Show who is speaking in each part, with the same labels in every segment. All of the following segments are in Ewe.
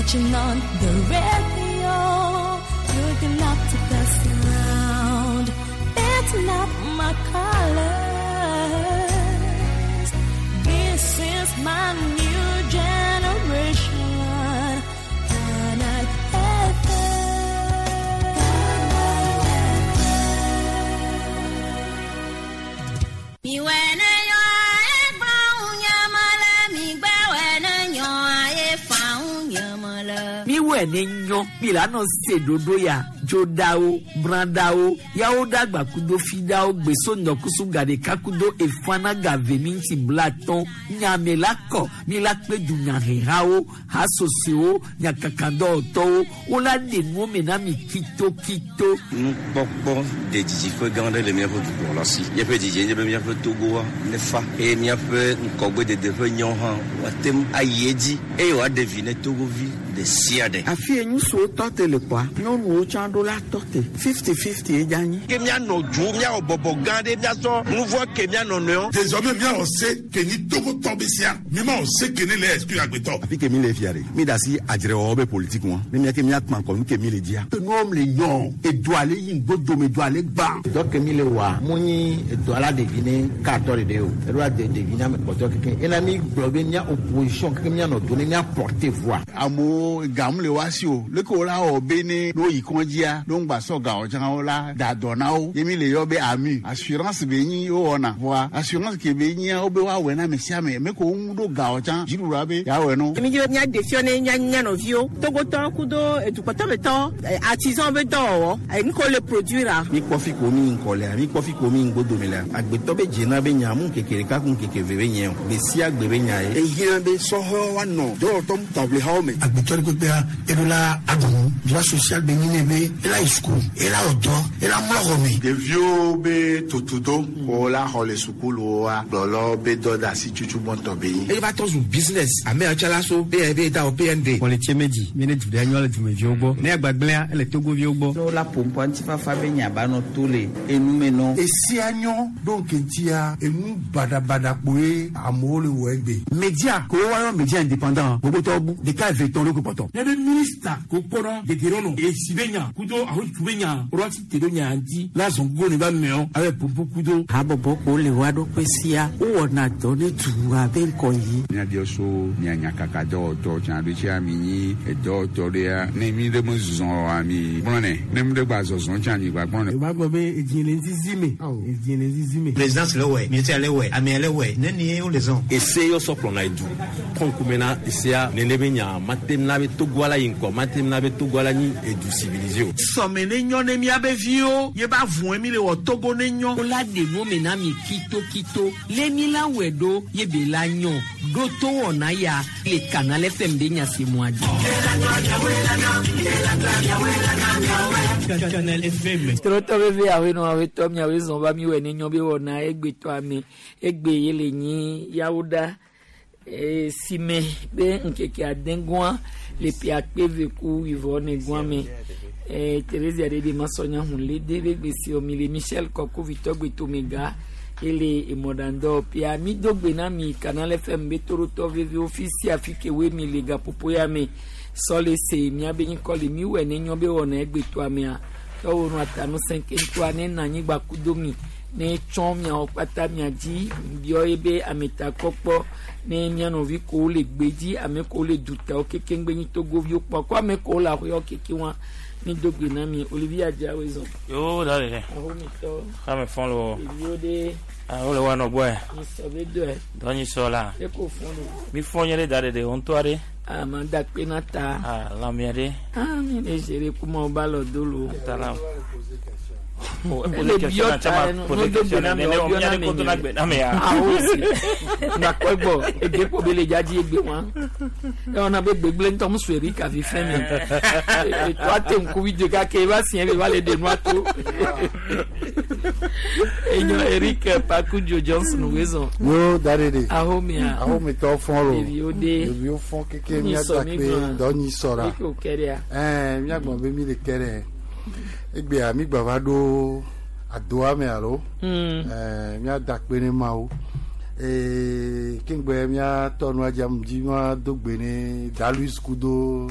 Speaker 1: You turn on the radio, you can the sound. It's not my colors. This is my new generation. And I
Speaker 2: Miwɛ ne nyɔ mi la nɔ se ɖoɖo ya dzoɖawo bradawo yawo dagba kudo fidawo gbeso ŋdɔkusu gaɖeka kudo efana gave minti blatɔn nyame la kɔ mi la kpe dunyahehawo hasosowo nyakakadɔwɔtɔwo wola ɖe nuwo me na mi kitokito.
Speaker 3: Nukpɔkpɔ de didiƒe gã aɖe le míaƒe dukplɔla si. Míaƒe didie nye be míaƒe Togoa nefa eye míaƒe ŋgɔgbedede ƒe nyawo hã woate ŋu ayi edzi eye wòaɖe vi ne Togovi ɖe sia ɖe.
Speaker 4: Afi ye ŋutsuwo tɔ te le kpɔa, nyɔnuwo tsã ɖo la tɔ te. 50-50 ye dze anyi.
Speaker 5: Ke míanɔ du míawɔ bɔbɔ gã ɖe míasɔ nu vɔ ke míanɔ nɔewo.
Speaker 6: Désormais míawɔ se ke nyi Togotɔ be sia mímawɔ se ke ne le exclure agbetɔ.
Speaker 7: Afi ke mi le fia ɖe mi da asi adzrewɔwɔ be politique ŋua ne mía ke míakpã ŋkɔ nu ke mi le dzia.
Speaker 8: Nuwo le nyɔ edu ale yi ŋgbodome du ale gbã.
Speaker 9: Dɔ ke mi le wɔa mu nyi edɔ la ɖevi ne katɔ ɖeɖe o eɖo la de ɖevi na ame kpɔtɔ keke ena mi gblɔ be mía opposition keke míanɔ do ne mía porter voix.
Speaker 10: Amewo gam le wa si o leke wo la wɔ be ne no yi kɔndzia no ŋgba sɔ gawo tsã wo la da dɔ na wo ye mi le yɔ be ami assurance be nyi wo wɔna voa assurance ke be nyia wo be woawɔe na ame sia ame me ko wo ŋu ɖo gawo tsã dziɖuɖua be yeawɔe no.
Speaker 11: Mi dzi be míaɖe fiɔ ne mía mía nɔviwo Togotɔwo kudo edukpɔtɔmetɔ artisan be dɔwɔwɔ nu ke wole produire.
Speaker 12: Mi kpɔ fi ko mi ŋkɔ lea mi kpɔ fi ko mi ŋgbodome lea agbetɔ be dzena be nya mu ŋkeke ɖeka ku ŋkeke eve be nye o gbe sia gbe be nya ye.
Speaker 8: Ehiã be sɔhɛwo woanɔ dɔwɔtɔ taʋlihawo me.
Speaker 13: Agbetɔ ɖe kpekpea eɖo la aɖu droit social be nyi ne be ela yi suku ela wɔ dɔ ela mlɔ xɔ me.
Speaker 14: Ɖeviwo be tutudo ko la xɔ le sukuluwoa gblɔlɔ be dɔ de asi tutu gbɔntɔ be nyi.
Speaker 15: Eye va tɔ zu business ame yawo tsã la so PNB da o PND.
Speaker 16: Kɔlitse medzi mi ne du ɖe nyɔ le dumeviwo gbɔ ne agbagblẽa ele togoviwo gbɔ.
Speaker 17: Ne wola ƒo ŋutifafa be nya ba nɔ to le enume nɔ.
Speaker 8: Esia nyɔ ɖo ŋkeŋtia enu baɖabaɖa kpoe amewo le wɔ egbe.
Speaker 18: Media ko woayɔ media indépendant gbogbotɔwo bu ɖeka eve tɔn ɖo ko kpɔtɔ.
Speaker 19: Ne be minista ko kpɔnɔ dedenɔnɔ esi be nya kudo ahotu be nya rɔti te ɖo nya ŋuti la zɔn gogo ne ba mɛɔ abe popo kudo.
Speaker 4: Habɔbɔ ko le wa ɖokui sia wowɔna dɔ ne dua be ŋkɔ yi.
Speaker 10: Míabiɔ so mia nyakaka dɔwɔtɔ tsã ɖo tsia mi nyi edɔwɔtɔ ɖea ne mi ɖe me zɔ oa mi gblɔnɛ ne mi ɖe gba zɔzɔ tsã mi gba gblɔnɛ.
Speaker 20: O b'a gbɔ be edzi le zizi me edzi le zizi me.
Speaker 21: Présidence le wɛ ministère le wɛ amea le wɛ ne ni wo le zɔn.
Speaker 22: Ese yɔ sɔ kplɔna edu kɔnkume na esea nene be nya mate na be Togoa la yi ŋkɔ mate na be Togoa la nyi edu civilisé o.
Speaker 23: Sɔme ne nyɔ ne miabe viwo ye ba vɔe mi le wɔ Togo ne nyɔ.
Speaker 2: Wola ɖe nuwo me na mi kitokito le mi la wɔe ɖo ye be la nyɔ ɖo to wɔna ya le Canal FM be nya si mua dzi.
Speaker 24: Canal FM.
Speaker 2: Trɔtɔ veve awoe nɔ awoe tɔ miawoe zɔn va mi wɔ ne nyɔ be wɔna egbetɔ ame egbe ye le nyi yawo ɖa si me be ŋkeke ade gɔa le ƒe akpe eve ku wivɔ ne gɔa me Thérésia ɖe ɖe masɔnya hun le de be gbesi mi le Michel Kɔku vitɔ gbetomega ele emɔɖaŋdɔ ƒea mi do gbe na mi Canal FM be torotɔ vevewo fi sia fi ke woe mi le gaƒoƒo ya me sɔ le se miabe nyikɔ le mi wɔ ne nyɔ be wɔna egbetɔ amea tɔwo nu atanu sɛnkɛntɔa ne na anyigba kudo mi ne tsɔ miawo kpata mia dzi biɔ ye be ametakpɔkpɔ ne mia nɔvi kowo le gbedzi ame kowo le dutawo kekeŋgbe nyi togoviwo kpɔ ko ame kowo le aƒewo keke wa mi do gbe na mi Olivier Adjawe zɔn.
Speaker 25: Yo da le.
Speaker 2: Ahomitɔ.
Speaker 25: Xame fɔn lo.
Speaker 2: Ɖeviwo ɖe.
Speaker 25: Ah wo le wa nɔ gbɔe.
Speaker 2: Nyisɔ be dɔe.
Speaker 25: Dɔ nyisɔ la.
Speaker 2: Eko fɔn lo.
Speaker 25: Mi fɔn nye ɖe da ɖeɖe wo ŋutɔ aɖe.
Speaker 2: Ah ma da kpe na ta.
Speaker 25: Ah lãmea ɖe.
Speaker 2: Ah mi ne gere kuma wo ba lɔ do lo.
Speaker 25: Ta la.
Speaker 2: Ele biɔ ta no do gbe na mi o biɔ na mi nye. Awo si nakɔ gbɔ ege kpo be le dzadzi egbe wa ewɔna be gbegble ŋutɔ mu sue Erika vi fɛn mi eto ate ŋkuvi de kake eva siɛ be va le ɖe nua to enyo Eric Pakudzo Johnson wezɔn.
Speaker 14: Yo da ɖe ɖe.
Speaker 2: Ahomia.
Speaker 14: Ahomitɔ fɔn lo.
Speaker 2: Ɖeviwo ɖe.
Speaker 14: Ɖeviwo fɔn keke míada kpe dɔ nyisɔ la.
Speaker 2: Eke wòke ɖea.
Speaker 14: Ɛɛ míagbɔn be mi le ke ɖe. Egbea mi gba va ɖo adoa me alo. Ɛɛ míada kpe ne Mawu. Ee keŋgbe míatɔ nua dzi dzi míado gbe ne Daluis kudo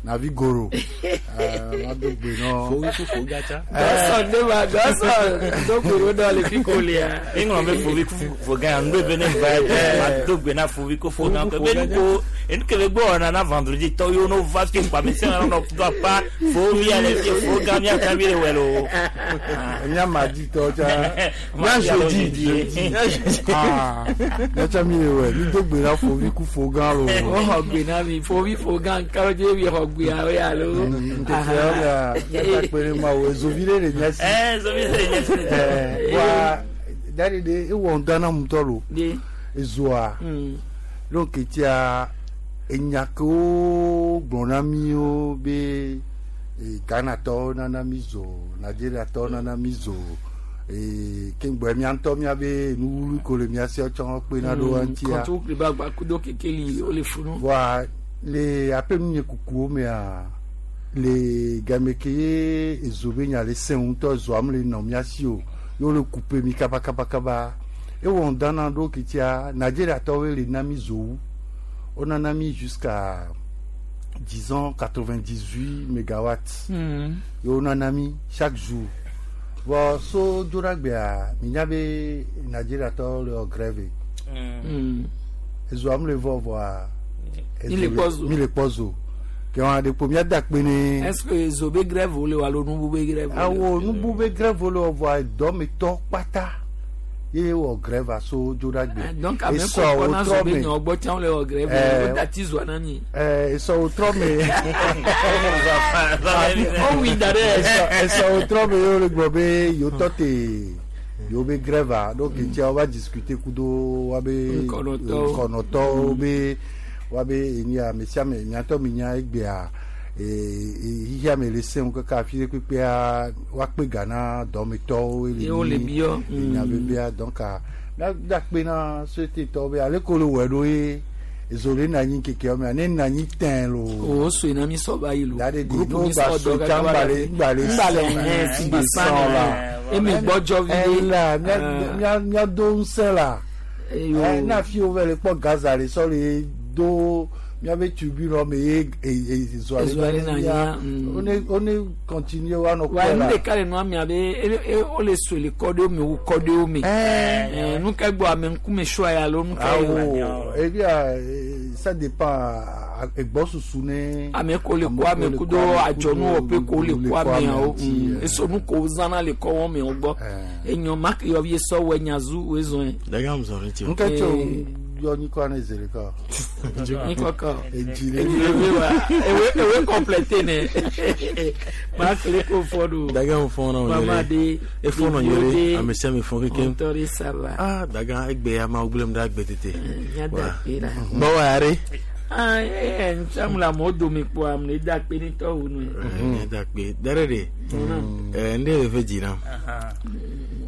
Speaker 14: Navi goro. Mado gbe nɔ.
Speaker 22: Fovi fofo gatsa.
Speaker 2: Gɔsɔn ne ma gɔsɔn do gbe ɖo le fi ko lia.
Speaker 25: Eŋlɔ be fovi fofo gã nu be ne va ye ma do gbe na fovi ko fo gã be nu ko enu ke be gbɔ wɔna na vendredi tɔ yewo no va fi kpa mi se na nɔ do apa fovi ale fi fo gã mia kan mi le wɛ lo.
Speaker 14: Nya ma di tɔ tsa.
Speaker 25: Nya jeudi.
Speaker 14: Ah, nya tsa mi le wɛ. Mi do gbe na fovi ku fo gã lo.
Speaker 2: O xɔ gbe na mi fovi fo gã kalo dze mi xɔ gbe awo ya lo.
Speaker 14: Nkeke yawo mea, miata kpe ɖe Mawu, ezovi ɖe le mía si.
Speaker 25: Ezovi ɖe le mía si.
Speaker 14: Wa dari ɖe ewɔ ŋdɔ na ŋutɔ lo. Ezoa. Donc etia enya kewo gblɔ na míwo be Ghanatɔwo nana mí zo, Nigeriatɔwo nana mí zo. Keŋgbɔ mía ŋutɔ míabe nuwului ko le mía si tsɔ kpena ɖo eŋutia.
Speaker 2: Kɔntu kple agba kudo kekeli wole funu.
Speaker 14: Voa le aƒe kukuwo mea le game ke ye ezo be nya le sẽ ŋutɔ ezoa mele nɔ mía si o ye wole kupe mi kaba kaba kaba ewɔ ŋdɔ na ɖo ketia Nigeriatɔwoe le na mi zo wu wonana mi jusqu'à disons 98 mégawatts ye wonana mi chaque jour vɔ so dzoɖagbea minya be Nigeriatɔwo le wɔ grève ezoa mele vɔ vɔa
Speaker 2: Mi le kpɔ zo.
Speaker 14: mi le kpɔ zo ke wɔn aɖe kpo míada kpe ne.
Speaker 2: Est-ce que zo be grève wole alo nubu be grève wole?
Speaker 14: Awo nubu be grève wole wɔ vɔa dɔmetɔ kpata ye wɔ grève aso dzoɖagbe.
Speaker 2: Donc ame
Speaker 14: Esɔ
Speaker 2: ko kpɔna zo
Speaker 14: wotrɔ
Speaker 2: be
Speaker 14: me.
Speaker 2: nyɔ gbɔ tsã wole wɔ grève wo dati zoa na mi.
Speaker 14: Esɔ wotrɔ me.
Speaker 2: Wowi da ɖe.
Speaker 14: Esɔ wotrɔ me ye wole gblɔ be yewo tɔ te yewo be grève a donc tia wova discuter kudo woabe
Speaker 2: Ŋkɔnɔtɔwo.
Speaker 14: ŋkɔnɔtɔwo be woabe eni ame sia ame miatɔ mi nya egbea xixia me le sẽŋu kaka afi ɖe kpekpea woakpe ga na dɔmetɔwo
Speaker 2: Ye wole biɔ.
Speaker 14: enya vevia donc míada kpe na société-tɔwo be ale ko le wɔe ɖo ye ezo le na anyi ŋkekeawo mea ne na anyi tɛ̃ lo.
Speaker 2: O soe na mi sɔ ba yi lo.
Speaker 14: Groupe
Speaker 2: Groupe
Speaker 14: mi
Speaker 2: mi
Speaker 14: sɔ
Speaker 2: sɔ dɔ
Speaker 14: dɔ
Speaker 2: kaka ba
Speaker 14: ŋgbalẽ ŋgbalẽ
Speaker 2: ŋgbalẽ hɛn si gbe
Speaker 14: sɔn la.
Speaker 2: Eme gbɔdzɔ vi ɖe.
Speaker 14: Ela mía míado ŋusẽ la. Ne afi wo va le kpɔ gaza le sɔ le do míabe tribune me ye ezoa
Speaker 2: Ezoa
Speaker 14: le
Speaker 2: le na
Speaker 14: na
Speaker 2: nyia,
Speaker 14: one one continue woanɔ
Speaker 2: Wa
Speaker 14: kpɔe
Speaker 2: nu
Speaker 14: la.
Speaker 2: ɖeka le nua mia be wole soe le kɔ ɖewo me wu kɔ ɖewo me. Nu ka gbɔ ame ŋkume sɔa ya alo nu ka ye
Speaker 14: Awo ebia ça dépend egbɔsusu ne.
Speaker 2: Ame ko le kɔ ame kudo adzɔnuwɔƒe ko le kɔ ameawo. Eso nu ko wozãna le kɔ wɔme wo gbɔ. Enyɔ ma ke yɔvi sɔ wɔ nyazu woe zɔn.
Speaker 22: Daga mu zɔn ti o.
Speaker 14: Nke tso yɔ nyikɔ ne ze ɖeka.
Speaker 2: Nyikɔ
Speaker 14: Edzi le.
Speaker 2: Edzi le wa ewe ewe complété ne. Ma kele ko fɔ do.
Speaker 22: Daga mu fɔn na o
Speaker 2: Mama
Speaker 22: yɛrɛ.
Speaker 2: de.
Speaker 22: E fɔn na
Speaker 2: ɖeviwo
Speaker 22: yɛrɛ.
Speaker 2: de,
Speaker 22: Ame sia ame fɔn kekem.
Speaker 2: Ŋutɔ ɖe sava.
Speaker 22: Ah daga egbe ya ma gblẽm ɖe agbe tete.
Speaker 2: Míada kpe la.
Speaker 22: Bɔwɔ yare.
Speaker 2: Ah, ntsamu le amewo dome kpoa ame ɖe da kpe ne tɔwo nu.
Speaker 22: Da kpe dare de. Nde le ve dzi nam.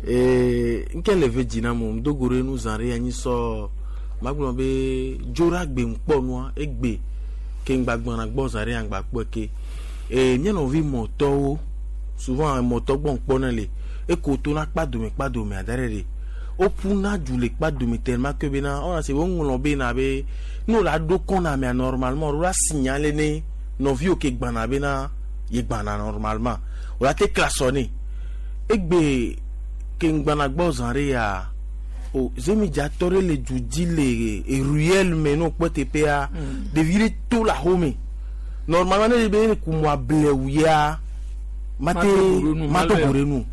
Speaker 22: Nke le ve dzi nam o ŋdogo ɖe nu zã ɖe anyi sɔ magblɔ be dzoɖagbe ŋkpɔ nua egbe ke ŋgbagbɔna gbɔ zã ɖe aŋgba kpɔe ke. Mía nɔvi mɔtɔwo souvent mɔtɔ gbɔ ŋkpɔna le eko tona kpadome kpadome ada ɖe ɖe woƒuna du le kpadome tellement que bena wona se woŋlɔ bena be ne wòle aɖo kɔna mea normalement ɖo la signalé ne nɔviwo ke gbana bena ye gbana normalement wòle ate klaxonné egbe ke ŋgbana gbɔ zã ɖe ya o zemidzatɔ ɖe le du dzi le ruelle me ne wokpɔ teƒea ɖevi ɖe to le axome normalement ne ɖe be kumɔ ablewu ya mate mato go ɖe nu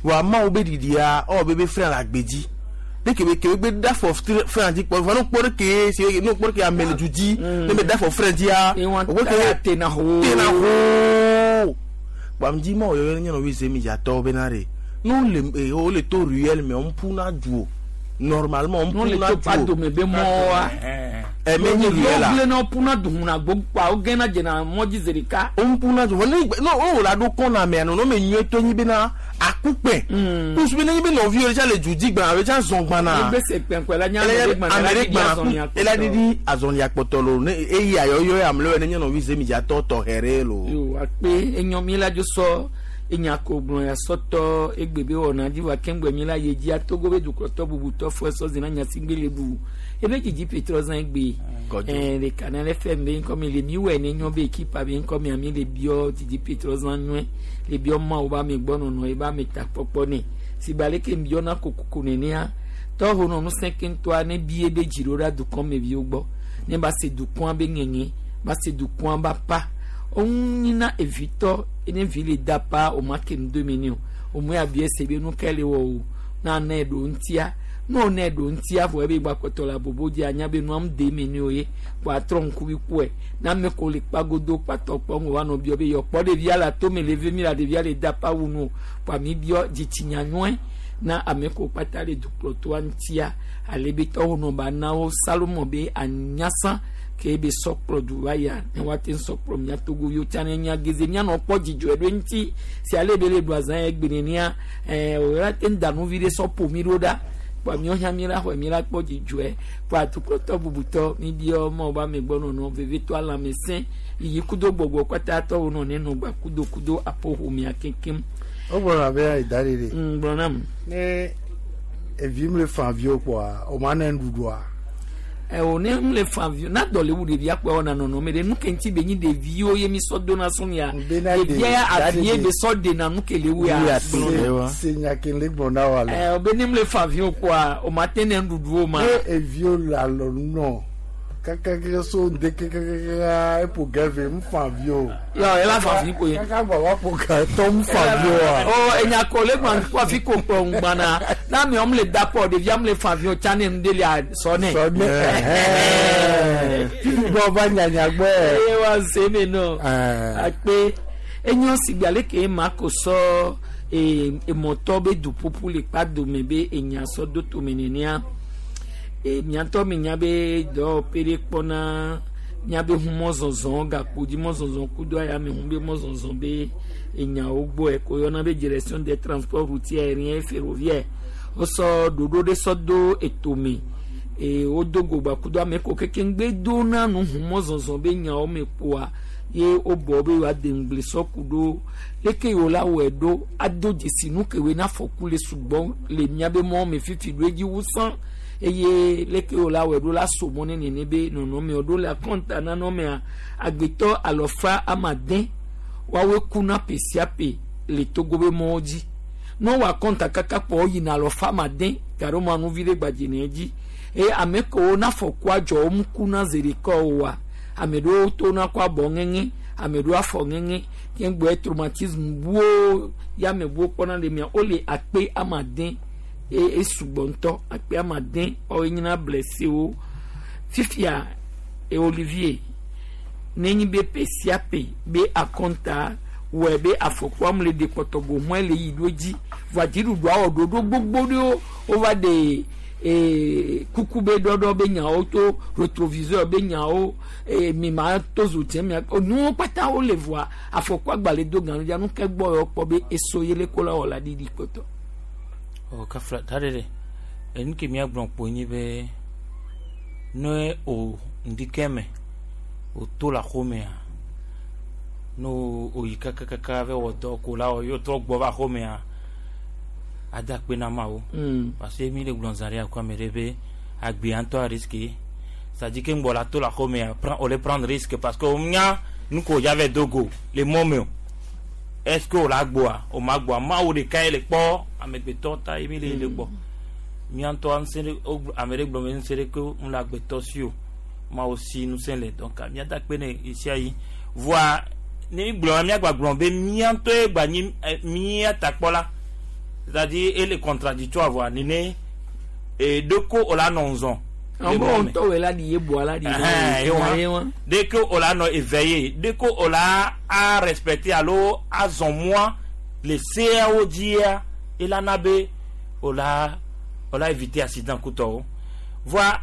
Speaker 22: wa mawo be ɖiɖia ewɔ be be fren le agbe dzi ne kebe kebe gbe da fɔ fren dzi kpɔ vɔ ne kpɔ ɖe ke si ne kpɔ ɖe ke ame le du dzi ne be da fɔ fren dzia
Speaker 2: o ke tena ho
Speaker 22: tena ho kpam dzi mawo yɔyɔ nye nɔvi zemidzatɔwo bena ɖe ne wole wole to ruelle me wɔm ƒuna du o normalement wɔm
Speaker 2: Ne wole
Speaker 22: ƒuna
Speaker 2: to
Speaker 22: du o
Speaker 2: kpadome be mɔwa.
Speaker 22: Ɛmɛ nye ruelle la.
Speaker 2: Wogblẽ na woƒuna du huna gbogbo wogena dzena mɔdzi zi ɖeka.
Speaker 22: Woƒuna du vɔ ne ne wole aɖo kɔna mea nɔnɔme nyuietɔ nyi bena akukpɛ kusu be nenye be nɔviwo ɖe tsa le du dzi gbana alo tsa zɔn gbana.
Speaker 2: Egbe se kpɛnkpɛ la nye ame ɖe gbana
Speaker 22: ame
Speaker 2: la
Speaker 22: ɖe
Speaker 2: ɖiɖi
Speaker 22: gbana
Speaker 2: azɔlia
Speaker 22: ku ela ɖiɖi azɔlia kpɔtɔ lo ne eyi ayɔyɔ ame ɖe ne nye nɔvi zemidzatɔ tɔxɛ ɖe lo.
Speaker 2: Yo akpe enyɔ mi la dzo sɔ Enya ko gblɔ ya sɔtɔ egbe be wɔna dzi va keŋgbɛ mi la ye dzia Togo be dukplɔtɔ bubutɔ fɔ esɔ zina nyasigbe le bu. Ebe dzidzi petrɔ zã egbe.
Speaker 25: Kɔdzo.
Speaker 2: Ɛɛ le Canal FM be ŋkɔ mi le mi wɔ ne nyɔ be ekipa be ŋkɔ mia mi le biɔ dzidzi petrɔ zã nyɔe. Le biɔ mawo ba mi gbɔ nɔnɔ ye ba mi takpɔkpɔ ne. Si ba leke mi biɔ na kokoko nenea. Tɔho nɔ ŋusẽ keŋtɔa ne bie be dzi ɖo ɖa dukɔ me viwo gbɔ. Ne ba se dukɔa be ŋeŋe, ba se dukɔa ba pa. Woŋunyina evitɔ ne vi le da pa o ma ke nu do me ne o. O mu ya bie se be nu ke le wɔ o. Na ne ɖo ŋutia. Ne o ne ɖo ŋutia vɔ ebe gba kpɔtɔ le abobo dzi anya be nua ŋu de me ne o ye. Kpɔ atrɔ ŋkuvi kpɔe. Na ame ko le kpagodo kpatɔ kpɔ ŋu wa nɔ biɔ be yɔ kpɔ ɖevia le atome le ve mi la ɖevia le da pa wu nu o. Kpɔ ami biɔ dzitsinya nyɔe na ame ko kpata le dukplɔtɔa ŋutia. Ale be tɔwo nɔ ba na wo Salomo be anyasa ke be sɔkplɔ du va ya ne woate ŋu sɔkplɔ mía Togoviwo tsã ne mía geze míanɔ kpɔ dzidzɔe ɖo eŋuti si ale be le ɖu azã ya egbe nenea ɛɛ wòla te ŋu da nu vi ɖe sɔ ƒo mí ɖo ɖa kpɔ míawo hã mí la xɔe mí la kpɔ dzidzɔe kpɔ atukplɔtɔ bubutɔ mí biɔ Mawu be ame gbɔ nɔnɔ vevitɔ lãmesẽ yiyi kudo gbɔgbɔ kpata tɔwo nɔ ne nɔ gba kudo kudo aƒoƒomea keŋkeŋ.
Speaker 14: Wogblɔna be ayi da ɖe ɖe.
Speaker 2: Gblɔ nam.
Speaker 14: Ne evi mu le fa viwo kpɔa, o ma ne nuɖuɖua.
Speaker 2: Ɛwò ne ŋu le fa viwo, na dɔ le wu ɖevia kpɔa wɔna nɔnɔme ɖe nu ke ŋuti be nyi ɖeviwo ye mi sɔ dona sɔn ya.
Speaker 14: Bena ɖe-
Speaker 2: Ɖevia ya
Speaker 14: da
Speaker 2: avi ye
Speaker 14: ɖe-
Speaker 2: be sɔ ɖena nu ke le wu ya.
Speaker 14: Wuya
Speaker 2: Gblɔ
Speaker 14: se se nya ke le gblɔ na wa le.
Speaker 2: Ɛwò be ne mu le fa viwo kpɔa, o ma te ne nuɖuɖu o ma.
Speaker 14: Ne eviwo le alɔnu nɔ kakaka so ŋde kakaka eƒo gɛve mu fa viwo.
Speaker 2: Yɔ ela fa vi koe.
Speaker 14: Kaka gbɔ wa ƒo ga tɔ mu fa viwo wa.
Speaker 2: O enya ko le gba kpɔ afi ko kplɔ ŋugbana. Na mi wɔm le da kpɔ ɖevia mu le fa viwo tsã ne nu de lia sɔ nɛ.
Speaker 14: Sɔ nɛ. Ɛhɛn. Fifi gbɔ va nyanya gbɔ.
Speaker 2: Eye wa se me nɔ.
Speaker 14: Ɛɛ.
Speaker 2: Akpe enyo sigbe ale ke ma ko sɔ ee emɔtɔ be duƒuƒu le kpa dome be enya sɔ do tome nenea. E miatɔ mi nya be dɔwɔƒe ɖe kpɔna miabe ʋu mɔzɔzɔ gakpo dzi mɔzɔzɔ kudo ayame ʋu be mɔzɔzɔ be enyawo gbɔe ko yɔna be direction des transports routiers aériens et ferroviaires. Wosɔ ɖoɖo ɖe sɔ do etome e wodo go gba kudo ame ko kekeŋ gbe dona nu ʋu mɔzɔzɔ be nyawo me kpoa ye wobɔ be yewoade ŋugble sɔ ku ɖo leke yewo la wɔe ɖo ado dzesi nu ke woe na afɔku le sugbɔ le miabe mɔ me fifi ɖo edzi wu sã eye leke yewo la wɔe ɖo la so mɔ ne nene be nɔnɔmewo ɖo le akɔnta nanɔmea agbetɔ alɔfa amade woawoe kuna ƒe sia ƒe le Togo be mɔwo dzi ne wowɔ akɔnta kaka kpɔ woyina alɔfa amade gaɖo ma nuvi ɖe gbadze ne dzi eye ame kewo na afɔkua dzɔ wo mu kuna zi ɖeka oa ame ɖewo tona kɔ abɔ ŋeŋe ame ɖewo afɔ ŋeŋe keŋgbɔe traumatisme buwo ya ame buwo kpɔna le mia wole akpe amade e esugbɔ ŋutɔ akpe amade woawoe nyina blessewo fifia e Olivier nenyi be ƒe sia ƒe be akɔnta wɔe be afɔkua mu le ɖe kpɔtɔ go hɔe le yi ɖo dzi vɔa dziɖuɖua wɔ ɖoɖo gbogbo ɖewo wova ɖe ee kuku be ɖɔɖɔ be nyawo to rétroviseur be nyawo ee mi ma to zo tiɛ mia nuwo kpata wole vɔa afɔkua gba le do ganu dza nu ke gbɔ yɔ kpɔ be eso ye le ko la wɔ la ɖiɖi kpɔtɔ.
Speaker 25: O kafla ta ɖe ɖe enu ke míagblɔ kpo nyi be ne o ŋdike me o to le axomea ne o yi kakakaka va wɔ dɔ ko la wɔ ye trɔ gbɔ va axomea ada akpe na Mawu. Parce que mi le gblɔ zã ɖe akɔ ame ɖe be agbea ŋutɔ a risque c'est-à-dire que ŋgbɔ la to le axomea prend o le prendre risque parce que o nya nu ko dza va do go le mɔ me o est-ce que o la gbɔa o ma gbɔa Mawu ɖeka ye le kpɔ amegbetɔ ta ye mi le le gbɔ mía ŋutɔ ŋusẽ ɖe wo ame ɖe gblɔ be ŋusẽ ɖe ke ŋu le agbetɔ si o Mawu si ŋusẽ le donc mía da akpe ne ɣesia ɣi voa ne mi gblɔ mía gba gblɔ be mía ŋutɔ ye gba nyi mía takpɔla c'est-à-dire ele contradictoire voa nene e ɖeko o la nɔ ŋzɔn.
Speaker 2: Àwọn ŋutɔ wɛ la ɖi ye bua la ɖi
Speaker 25: Ɛhɛn, ye wa. Dès que o la nɔ éveillé dès que o la a respecté alo azɔn mɔa le seawo dzia elana be o la o la éviter accident kutɔwo voa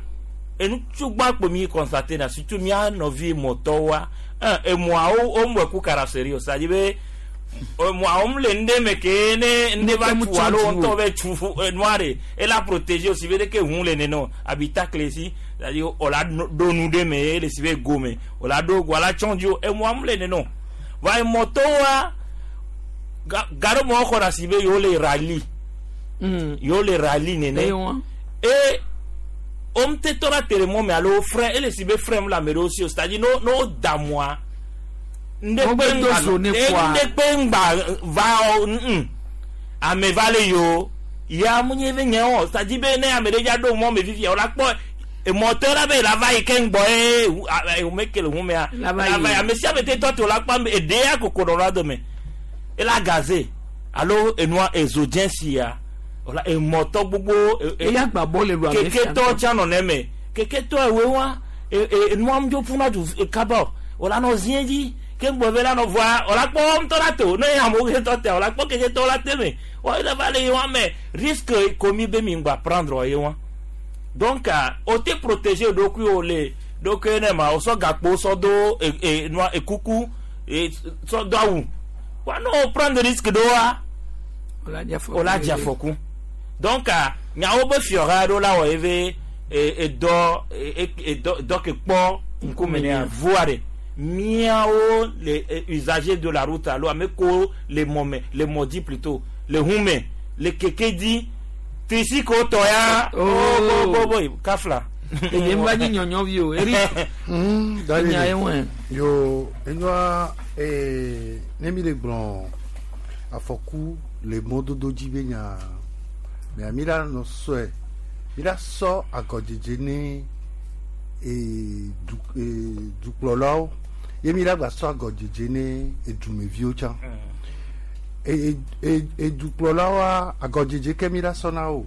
Speaker 25: enu tsugba kpo mi constaté na surtout mía nɔvi mɔtɔwoa un emɔawo wo mɔ ku carrosserie o c'est-à-dire be emɔawo mu le ŋɖe me ke ne ŋɖe va tu alo ŋutɔ bɛ tu nua de ela protéger aussi be ɖeke ʋu le nene o habitacle si c'est-à-dire o la ɖo nu ɖe me ele si be go me o la ɖo go ala tsɔn dzi o emɔa mu le nene o voa emɔtɔwoa Gaɖo me woxɔ ɖe asi be yewo le rally. Yewo le rally nene.
Speaker 2: Eye wa.
Speaker 25: E womte tɔ ɖe ate le mɔ me alo wo frein ele si be frein mu le ame ɖewo si o. C'est-à-dire ne wo da mɔa, ŋɖe
Speaker 2: Wo
Speaker 25: kpe
Speaker 2: gbe do
Speaker 25: ŋgba
Speaker 2: zo ne
Speaker 25: e
Speaker 2: kpoa.
Speaker 25: ŋɖe kpe ŋgba va o ame va le yi o. Ya mu nye be nye o. C'est-à-dire be ne ame ɖe dza ɖo mɔ me fifia o la kpɔ emɔtɔ la be la va yi ke ŋgbɔ ye ʋu a ʋu me ke le ʋu mea.
Speaker 2: La va
Speaker 25: La
Speaker 2: yi.
Speaker 25: va yi. Ame sia ame te tɔ te o la kpɔ ame eɖe ya koko nɔ la dome. Ela gaze alo enua ezo dze sia. Wòla emɔtɔ gbogbo.
Speaker 2: Eya gba bɔ le lu ame sia
Speaker 25: Keketɔ
Speaker 2: ŋutɔ.
Speaker 25: tsã nɔ neme. Keketɔ ewoe wa e enua ŋdzo ƒuna du kaba o. Wòla nɔ zie dzi. Ke ŋgbɔ be la nɔ vɔa wòla kpɔ ŋutɔ la to. Ne amewo ketɔ tea wòla kpɔ keketɔ la te me. Wɔ ele va le ye wa me risque ko mi be mi ŋgba prendre ye wa. Donc o te protéger ɖokuiwo le ɖokui ne ma o sɔ gakpo sɔ do e e nua ekuku e sɔ do awu. Wa ne o prendre risque ɖo wa.
Speaker 2: Wòla dze afɔku.
Speaker 25: O la dze afɔku. Donc nyawo be fiɔha ɖo la wɔ ye be edɔ edɔ dɔ ke kpɔ ŋkume nea voa ɖe. Míawo le usagers de la route alo ame ko le mɔ me le mɔ dzi plutôt le ʋu me le keke dzi trisi ko tɔ ya.
Speaker 2: Oh.
Speaker 25: Bo bo bo kafla.
Speaker 2: Èyí ń bá yín nyɔnyɔ vi o. Eric. Enya ye ŋue.
Speaker 14: Yo enyoa ne mi le gblɔ afɔku le mɔdodo dzi be nya mea mi la nɔ sɔe mi la sɔ agɔdzedze ne du dukplɔlawo ye mi la gba sɔ agɔdzedze ne edumeviwo tsã. Edukplɔlawoa agɔdzedze ke mi la sɔ na wo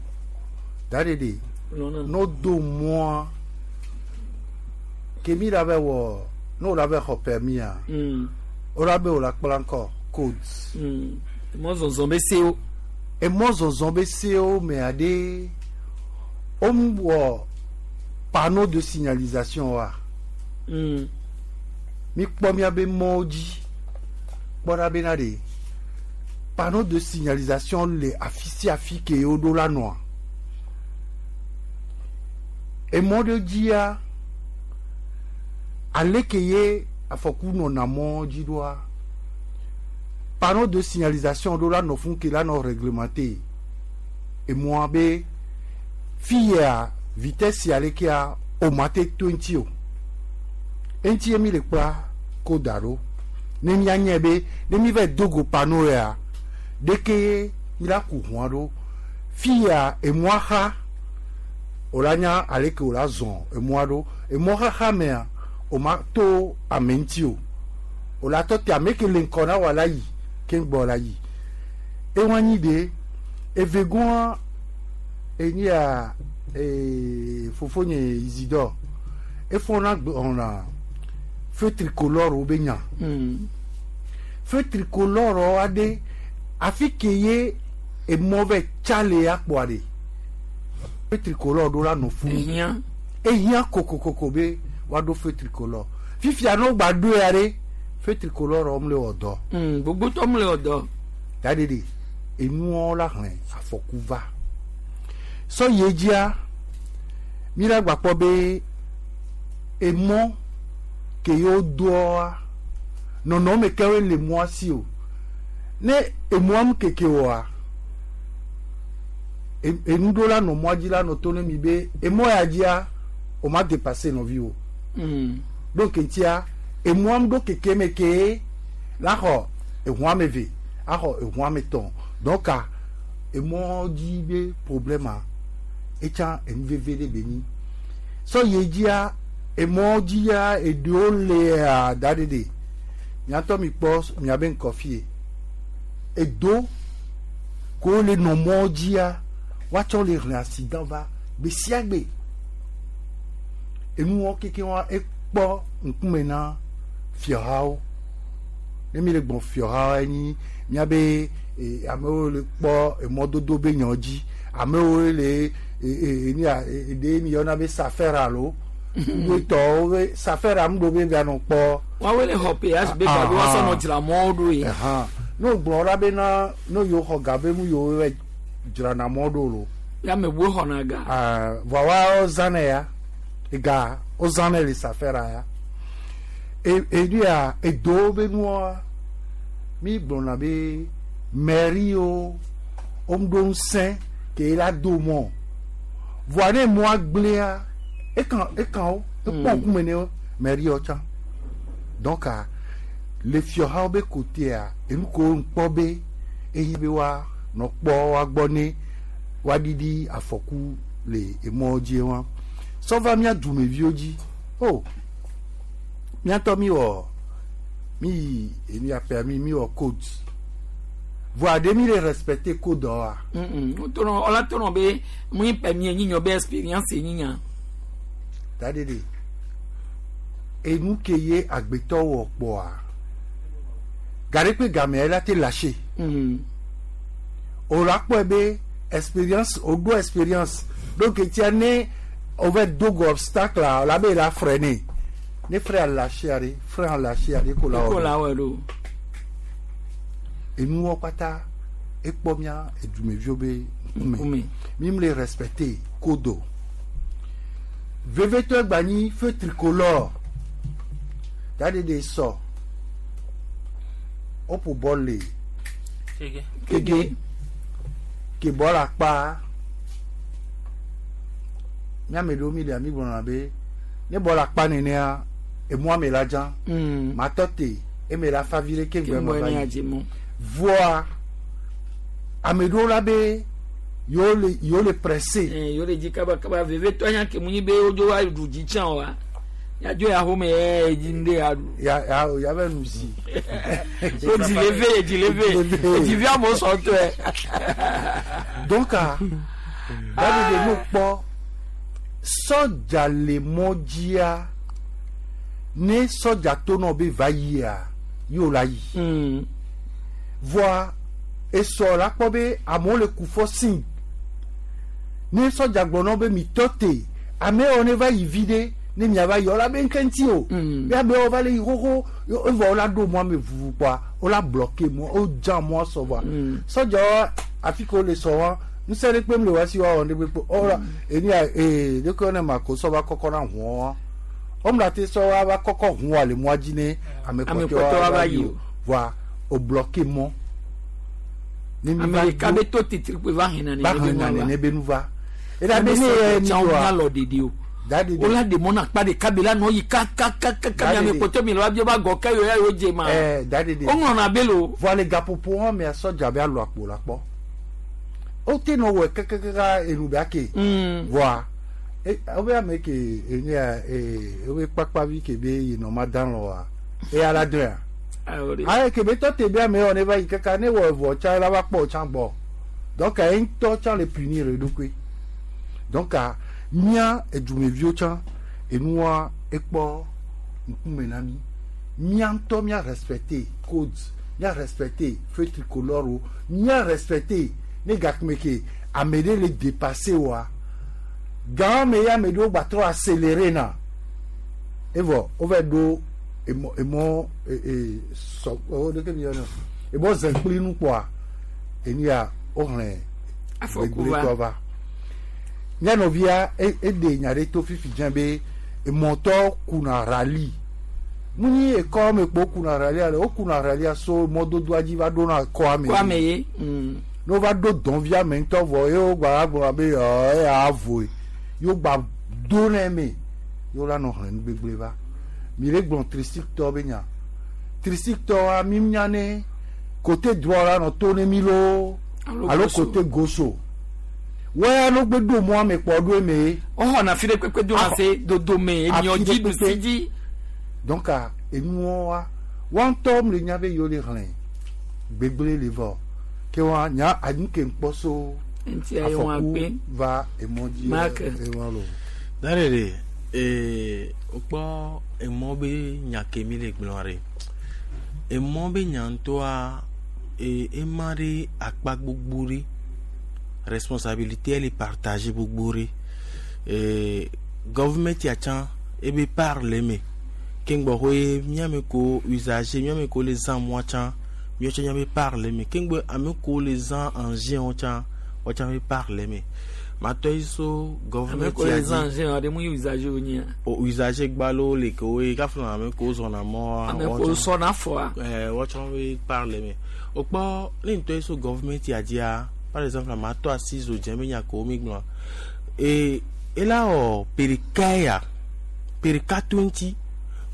Speaker 14: da ɖe ɖe n'o do mɔa ke mi la bɛ wɔ n'o la bɛ xɔ permis o la bɛ o la kpla ŋkɔ codes.
Speaker 2: Mɔzɔzɔ be sewo.
Speaker 14: Emɔzɔzɔ be sewo mea ɖe wo wɔ panneau de signalisation wa. Mi kpɔ miabe mɔwo dzi kpɔ ɖa bena ɖe panneau de signalisation le afi sia afi ke woɖo la nɔa. Emɔ ɖe dzia ale ke ye afɔku nɔna mɔ dzi ɖoa panneau de signalisation ɖo la nɔ fún ke la nɔ réglementé emɔa be fi ya vitesse ya lekea o ma te to ŋuti o eŋuti ye mi le kpla ko da ɖo ne mianye be ne mi va do go panneau ya ɖeke ye mi la ku ʋua ɖo fi ya emɔa xa o la nya ale ke o la zɔn emɔa ɖo emɔ xaxa mea o ma to ame ŋuti o o la tɔ te ame ke le ŋkɔ na wa la yi ke ŋgbɔ la yi ewa nyi de evegɔa enyi ya fofonye Isidore efɔna gblɔna feu tricolore wo be nya feu tricolore aɖe afi ke ye emɔ vɛ tsa le ya kpɔa ɖe feu tricolore ɖo la nɔ funu
Speaker 2: Ehiã.
Speaker 14: ehiã kokokoko be woaɖo feu tricolore fifia ne wogba ɖoe ya ɖe feu tricolore wɔm le wɔ dɔ.
Speaker 2: Gbogbo tɔ mu le wɔ dɔ.
Speaker 14: Da ɖe ɖe enuwo la hlẽ afɔku va sɔ yi dzia mi la gba kpɔ be emɔ ke yewo doa nɔnɔme kewoe le mɔa si o ne emɔa mu keke oa enu ɖo la nɔ mɔa dzi la nɔ to ne mi be emɔ ya dzia o ma dépassé nɔvi o donc ŋutia emɔa mu ɖo keke me ke la xɔ eʋu ame eve axɔ eʋu ame etɔ̃ donc emɔ dzi be problème a etsa enu veve ɖe be nyi sɔ yi dzia emɔ dzia eɖewo lea da ɖe ɖe miatɔ mi kpɔ miabe ŋkɔ fie edo ko le nɔ mɔ dzia woatsɔ le hlẽ accident va gbe sia gbe enuwo keke wa ekpɔ ŋkume na fiahawo ne mi le gbɔn fiahawo enyi miabe amewo le kpɔ emɔdodo be nya dzi amewo le enia ɖe mi yɔna be safer alo wetɔwo be safer amu ɖo be vianɔ kpɔ.
Speaker 2: Woawoe le xɔ péage be gabe woasɔ nɔ dzra mɔwo ɖo ye.
Speaker 14: Ne wogblɔ la be na ne yewo xɔ ga be mu yewo va dzrana mɔ ɖo lo.
Speaker 2: Ya ame buwo xɔna ga.
Speaker 14: Vɔa woawo zãnɛ ya ega wozãnɛ le safera ya enu ya edowo be nua mi gblɔna be Mairie wo woŋɖo ŋusẽ ke la do mɔ. Voa ne mɔa gblẽa, ekan ekan wo, ekpɔ ŋkume ne wo mairie wo tsã. Donc a, le fiɔhawo be kotea, enu ko ŋkpɔ be eyi be wa nɔ kpɔ wa gbɔ ne woaɖiɖi afɔku le emɔwo dzi wa. Sɔ va mía dumeviwo dzi. O, míatɔ mi wɔ mi yi enu ya permis mi wɔ code. Voa ɖe mi le respecter code wa.
Speaker 2: Wotɔnɔ ɔla tɔnɔ be mu yi permis nyinyɔ be expérience nyinya.
Speaker 14: Dadede enu ke ye agbetɔ wɔ kpɔa gaɖe kpe gamea la te lâcher. O la kpɔe be expérience o ɖo expérience donc tia ne o va do go obstacle la la be la freiner ne frein a lâcher aɖe frein a lâcher aɖe ko la
Speaker 2: Ko
Speaker 14: wɔ
Speaker 2: la wɔ ɖo.
Speaker 14: Enuwɔ kpata ekpɔ mía edumeviwo be ŋkume mi le respecter code o vevetɔ egba nyi feu tricolore dadede sɔ woƒo bɔl le Kege ke bɔl akpa míame ɖewo mi le mi gblɔna be ne bɔl akpa nenea emɔa me la dzã matɔ te eme la fa vi ɖe ke ŋgbɛ ma va yi voa ame ɖewo la be yewo le yewo le pressé.
Speaker 2: Yewo le dzi kabakaba vevetɔ nya ke mu nyi be wodzo wa ɖu dzi tsã wa yadzo ya xome ye dzi ŋɖe ya ɖu.
Speaker 14: Ya ya ya bɛ nu si.
Speaker 2: So dzi le ve dzi le ve dzi vi amewo sɔ tɔe.
Speaker 14: Donc ah david no kpɔ sɔdza le mɔ dzia ne sɔdza to nɔ be va yia yóò la yi. Voa esɔ la kpɔ be amewo le ku fɔ si ne sɔdza gblɔ nɔ be mi tɔ te amewo ne va yi vi ɖe ne miava yi ɔla be ŋke ŋuti o be amewo va le yi xoxo evɔ wola ɖo mɔa me vuvu kpɔa wola bloquer mɔ wodza mɔa sɔ vɔa sɔdzawo afi ke wole sɔ wa ŋusẽ ɖe kpem le wa si woawɔ ɖe kpekpe ɔla enu ya ee ɖeke ne ma ko sɔ va kɔkɔ na ʋua wa wɔmla te sɔ wa va kɔkɔ ʋua le mɔa dzi ne ame kpɔtɔewo va yi o vɔa o bloquer mɔ.
Speaker 2: Ne mi va ɖeka be to titiri kpe va hɛn na
Speaker 14: va hɛn na nene be nu va. Eda be ne ye
Speaker 2: ni wa alɔ ɖeɖi o. Wola ɖe mɔ na akpa ɖeka be la nɔ yi kakakaka mi ame kpɔtɔ mi le wa bi ba gɔ ke yo ya yo dze ma.
Speaker 14: Ɛɛ daɖeɖe.
Speaker 2: Woŋlɔna be lo.
Speaker 14: Vɔa le gaƒoƒo hã mea sɔdza be alɔ akpo la kpɔ. Wote nɔ wɔ kekekeka enu be ake. Vɔa wobe ame ke enye ya ee wobe kpakpavi ke be yinɔ ma dan lɔ wa eya la dɔn ya. Ayi ke be tɔ te be ame yɔ ne va yi kaka ne wɔ evɔ tsa la va kpɔ tsã gbɔ. Donc eyi ŋutɔ tsã le punir eɖokui. Donc mía edumeviwo tsã enua ekpɔ ŋkume na mi. Mía ŋutɔ mía respecter code, mía respecter feu tricolore wo, mía respecter ne gakme ke ame ɖe le dépasser wa. Gã me ya ame ɖewo gba trɔ accélérer na. Evɔ wova ɖo emɔ emɔ ee sɔ o ɖeke mi yɔna emɔ zɛnkpli nu kpɔa enu ya wohlẽ gbegblẽtɔ va. Mía nɔvia eɖe nya ɖe to fifi dze be emɔtɔ kuna rally. Mu nyi ekɔ me kpo kuna rally ale wokuna rally so mɔdodoa dzi va ɖona kɔa me.
Speaker 2: Kɔa me ye.
Speaker 14: Ne wova ɖo dɔnvia me ŋutɔ vɔ ye wogba gblɔ be eya avoe ye wogba do ne me ye wola nɔ hlẽ nu gbegblẽ va. Mi le gblɔ tricycle be nya. Tricycle wa mi nya ne côté droit la nɔ to ne mi loo alo côté gauche o. Wɔya no gbe ɖo mɔa me kpɔ ɖo eme.
Speaker 2: Woxɔna fi ɖe kpekpe do na se dodome emiɔ dzi ɖusi dzi.
Speaker 14: Donc enuwo wa wa ŋutɔ mi le nya be yewo le hlẽ gbegblẽ le vɔ ke wa nya anu ke ŋkpɔ so afɔku va emɔ dzi ewa lo.
Speaker 22: Daɖeɖe ee wokpɔ emɔ be nya ke mi le gblɔ ɖe emɔ be nya ŋutɔa ee ema ɖe akpa gbogbo ɖe responsabilité le partage gbogbo ɖe ee government ya tsã ebe part le eme ke ŋgbɔxɔe míame ko usager míame ko le zã mɔa tsã míawo tsã míabe part le eme ke ŋgbɔ ame ko le zã engin wo tsã wo tsã be part le eme. Matɔ yi so
Speaker 2: Ame
Speaker 22: gɔvmɛnti
Speaker 2: ko le zan je ade mu usager wo nyia.
Speaker 22: O usager gbalo le ke woe kafla ame ko zɔna mɔ.
Speaker 2: Ame ko sɔna fɔa.
Speaker 22: Ɛɛ wɔtsɔ be parle me. O kpɔ ne ŋutɔ yi so gɔvmɛnti dzia par exemple matɔ asi zo dze be nya ko mi gblɔ. Ee ela wɔ perika ya perika to ŋuti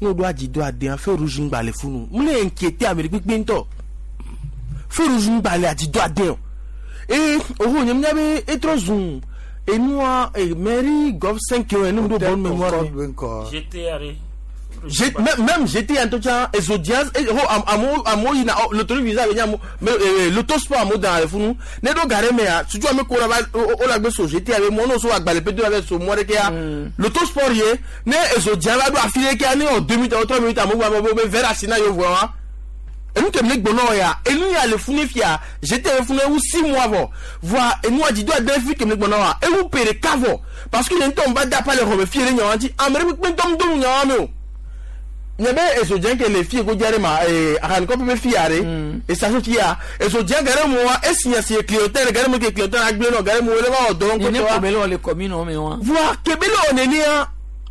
Speaker 22: ne woɖo adzi do adea feu rouge ŋgba le funu mu le inquiété ame ɖe kpekpe ŋutɔ feu rouge ŋgba le adzi do ade o eye oho nye mía be etrɔ zu enua e mairie gov 5 yɔ ene mu ɖo bonne mémoire ne.
Speaker 25: J'étais allé.
Speaker 22: Même j'étais en tout cas Ezodias amewo amewo yina l'autoroute visa be nye amewo mais l'autosport amewo dana le funu ne ɖo ga ɖe mea tutu ame ko la va wo la gbe so GT abe mɔ n'o so agbalẽ pedo la va so mɔ ɖe kea l'autosport ye ne Ezodia va ɖo afi ɖe kea ne wɔ 2 minutes alo 3 minutes amewo gba be be verre asi na yewo vɔ wa enu ke mi gbɔnɔ ya enu ya le funu fia GT le funu ewu 6 mois vɔ voa enua dzi do ade fi ke mi gbɔnɔ wa ewu pe ɖeka vɔ parce que nye ŋutɔ va da pa le xɔme fie ɖe nyawa ŋuti ame ɖe kpekpe ŋutɔ ŋdo nu nyawa me o nye be ezodze ke le fie godzi aɖe ma ee ahanikɔƒe be fia ɖe esasio fia ezodze ge ɖe mo wa esi nya si clientèle ge ɖe mo ke clientèle agble nɔ ge ɖe mo le va wɔ dɔ
Speaker 2: Nene
Speaker 22: ŋkɔtɔ wa
Speaker 2: ko be le wɔ le commune me wa.
Speaker 22: voa kebe le wɔ nenea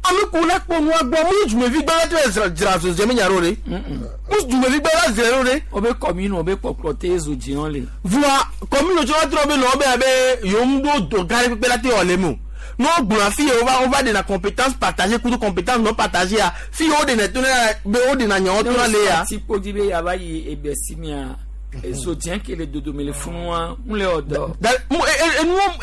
Speaker 22: ame ko la kpɔ nua gbɔ mu dumevi gbã la te dzra dzra zodze me nya ɖo ɖe mu dumevi gbã la dzra ɖo ɖe.
Speaker 2: O be commune o be kpɔkplɔ te zodze wɔn le.
Speaker 22: Voa commune tsɔ va trɔ be nɔ be abe yewo ŋu ɖo dɔ gã ɖe kpekpe la te wɔ le me o ne wogblɔ afi ye wova wova ɖena compétence partagée kudo compétence non partagée ya fi ye woɖena to na be woɖena nyawo to na le ya.
Speaker 2: Ti kpodzi be yava yi egbe si mia ezodze ke le dodome le funu wa mu le wɔ dɔ.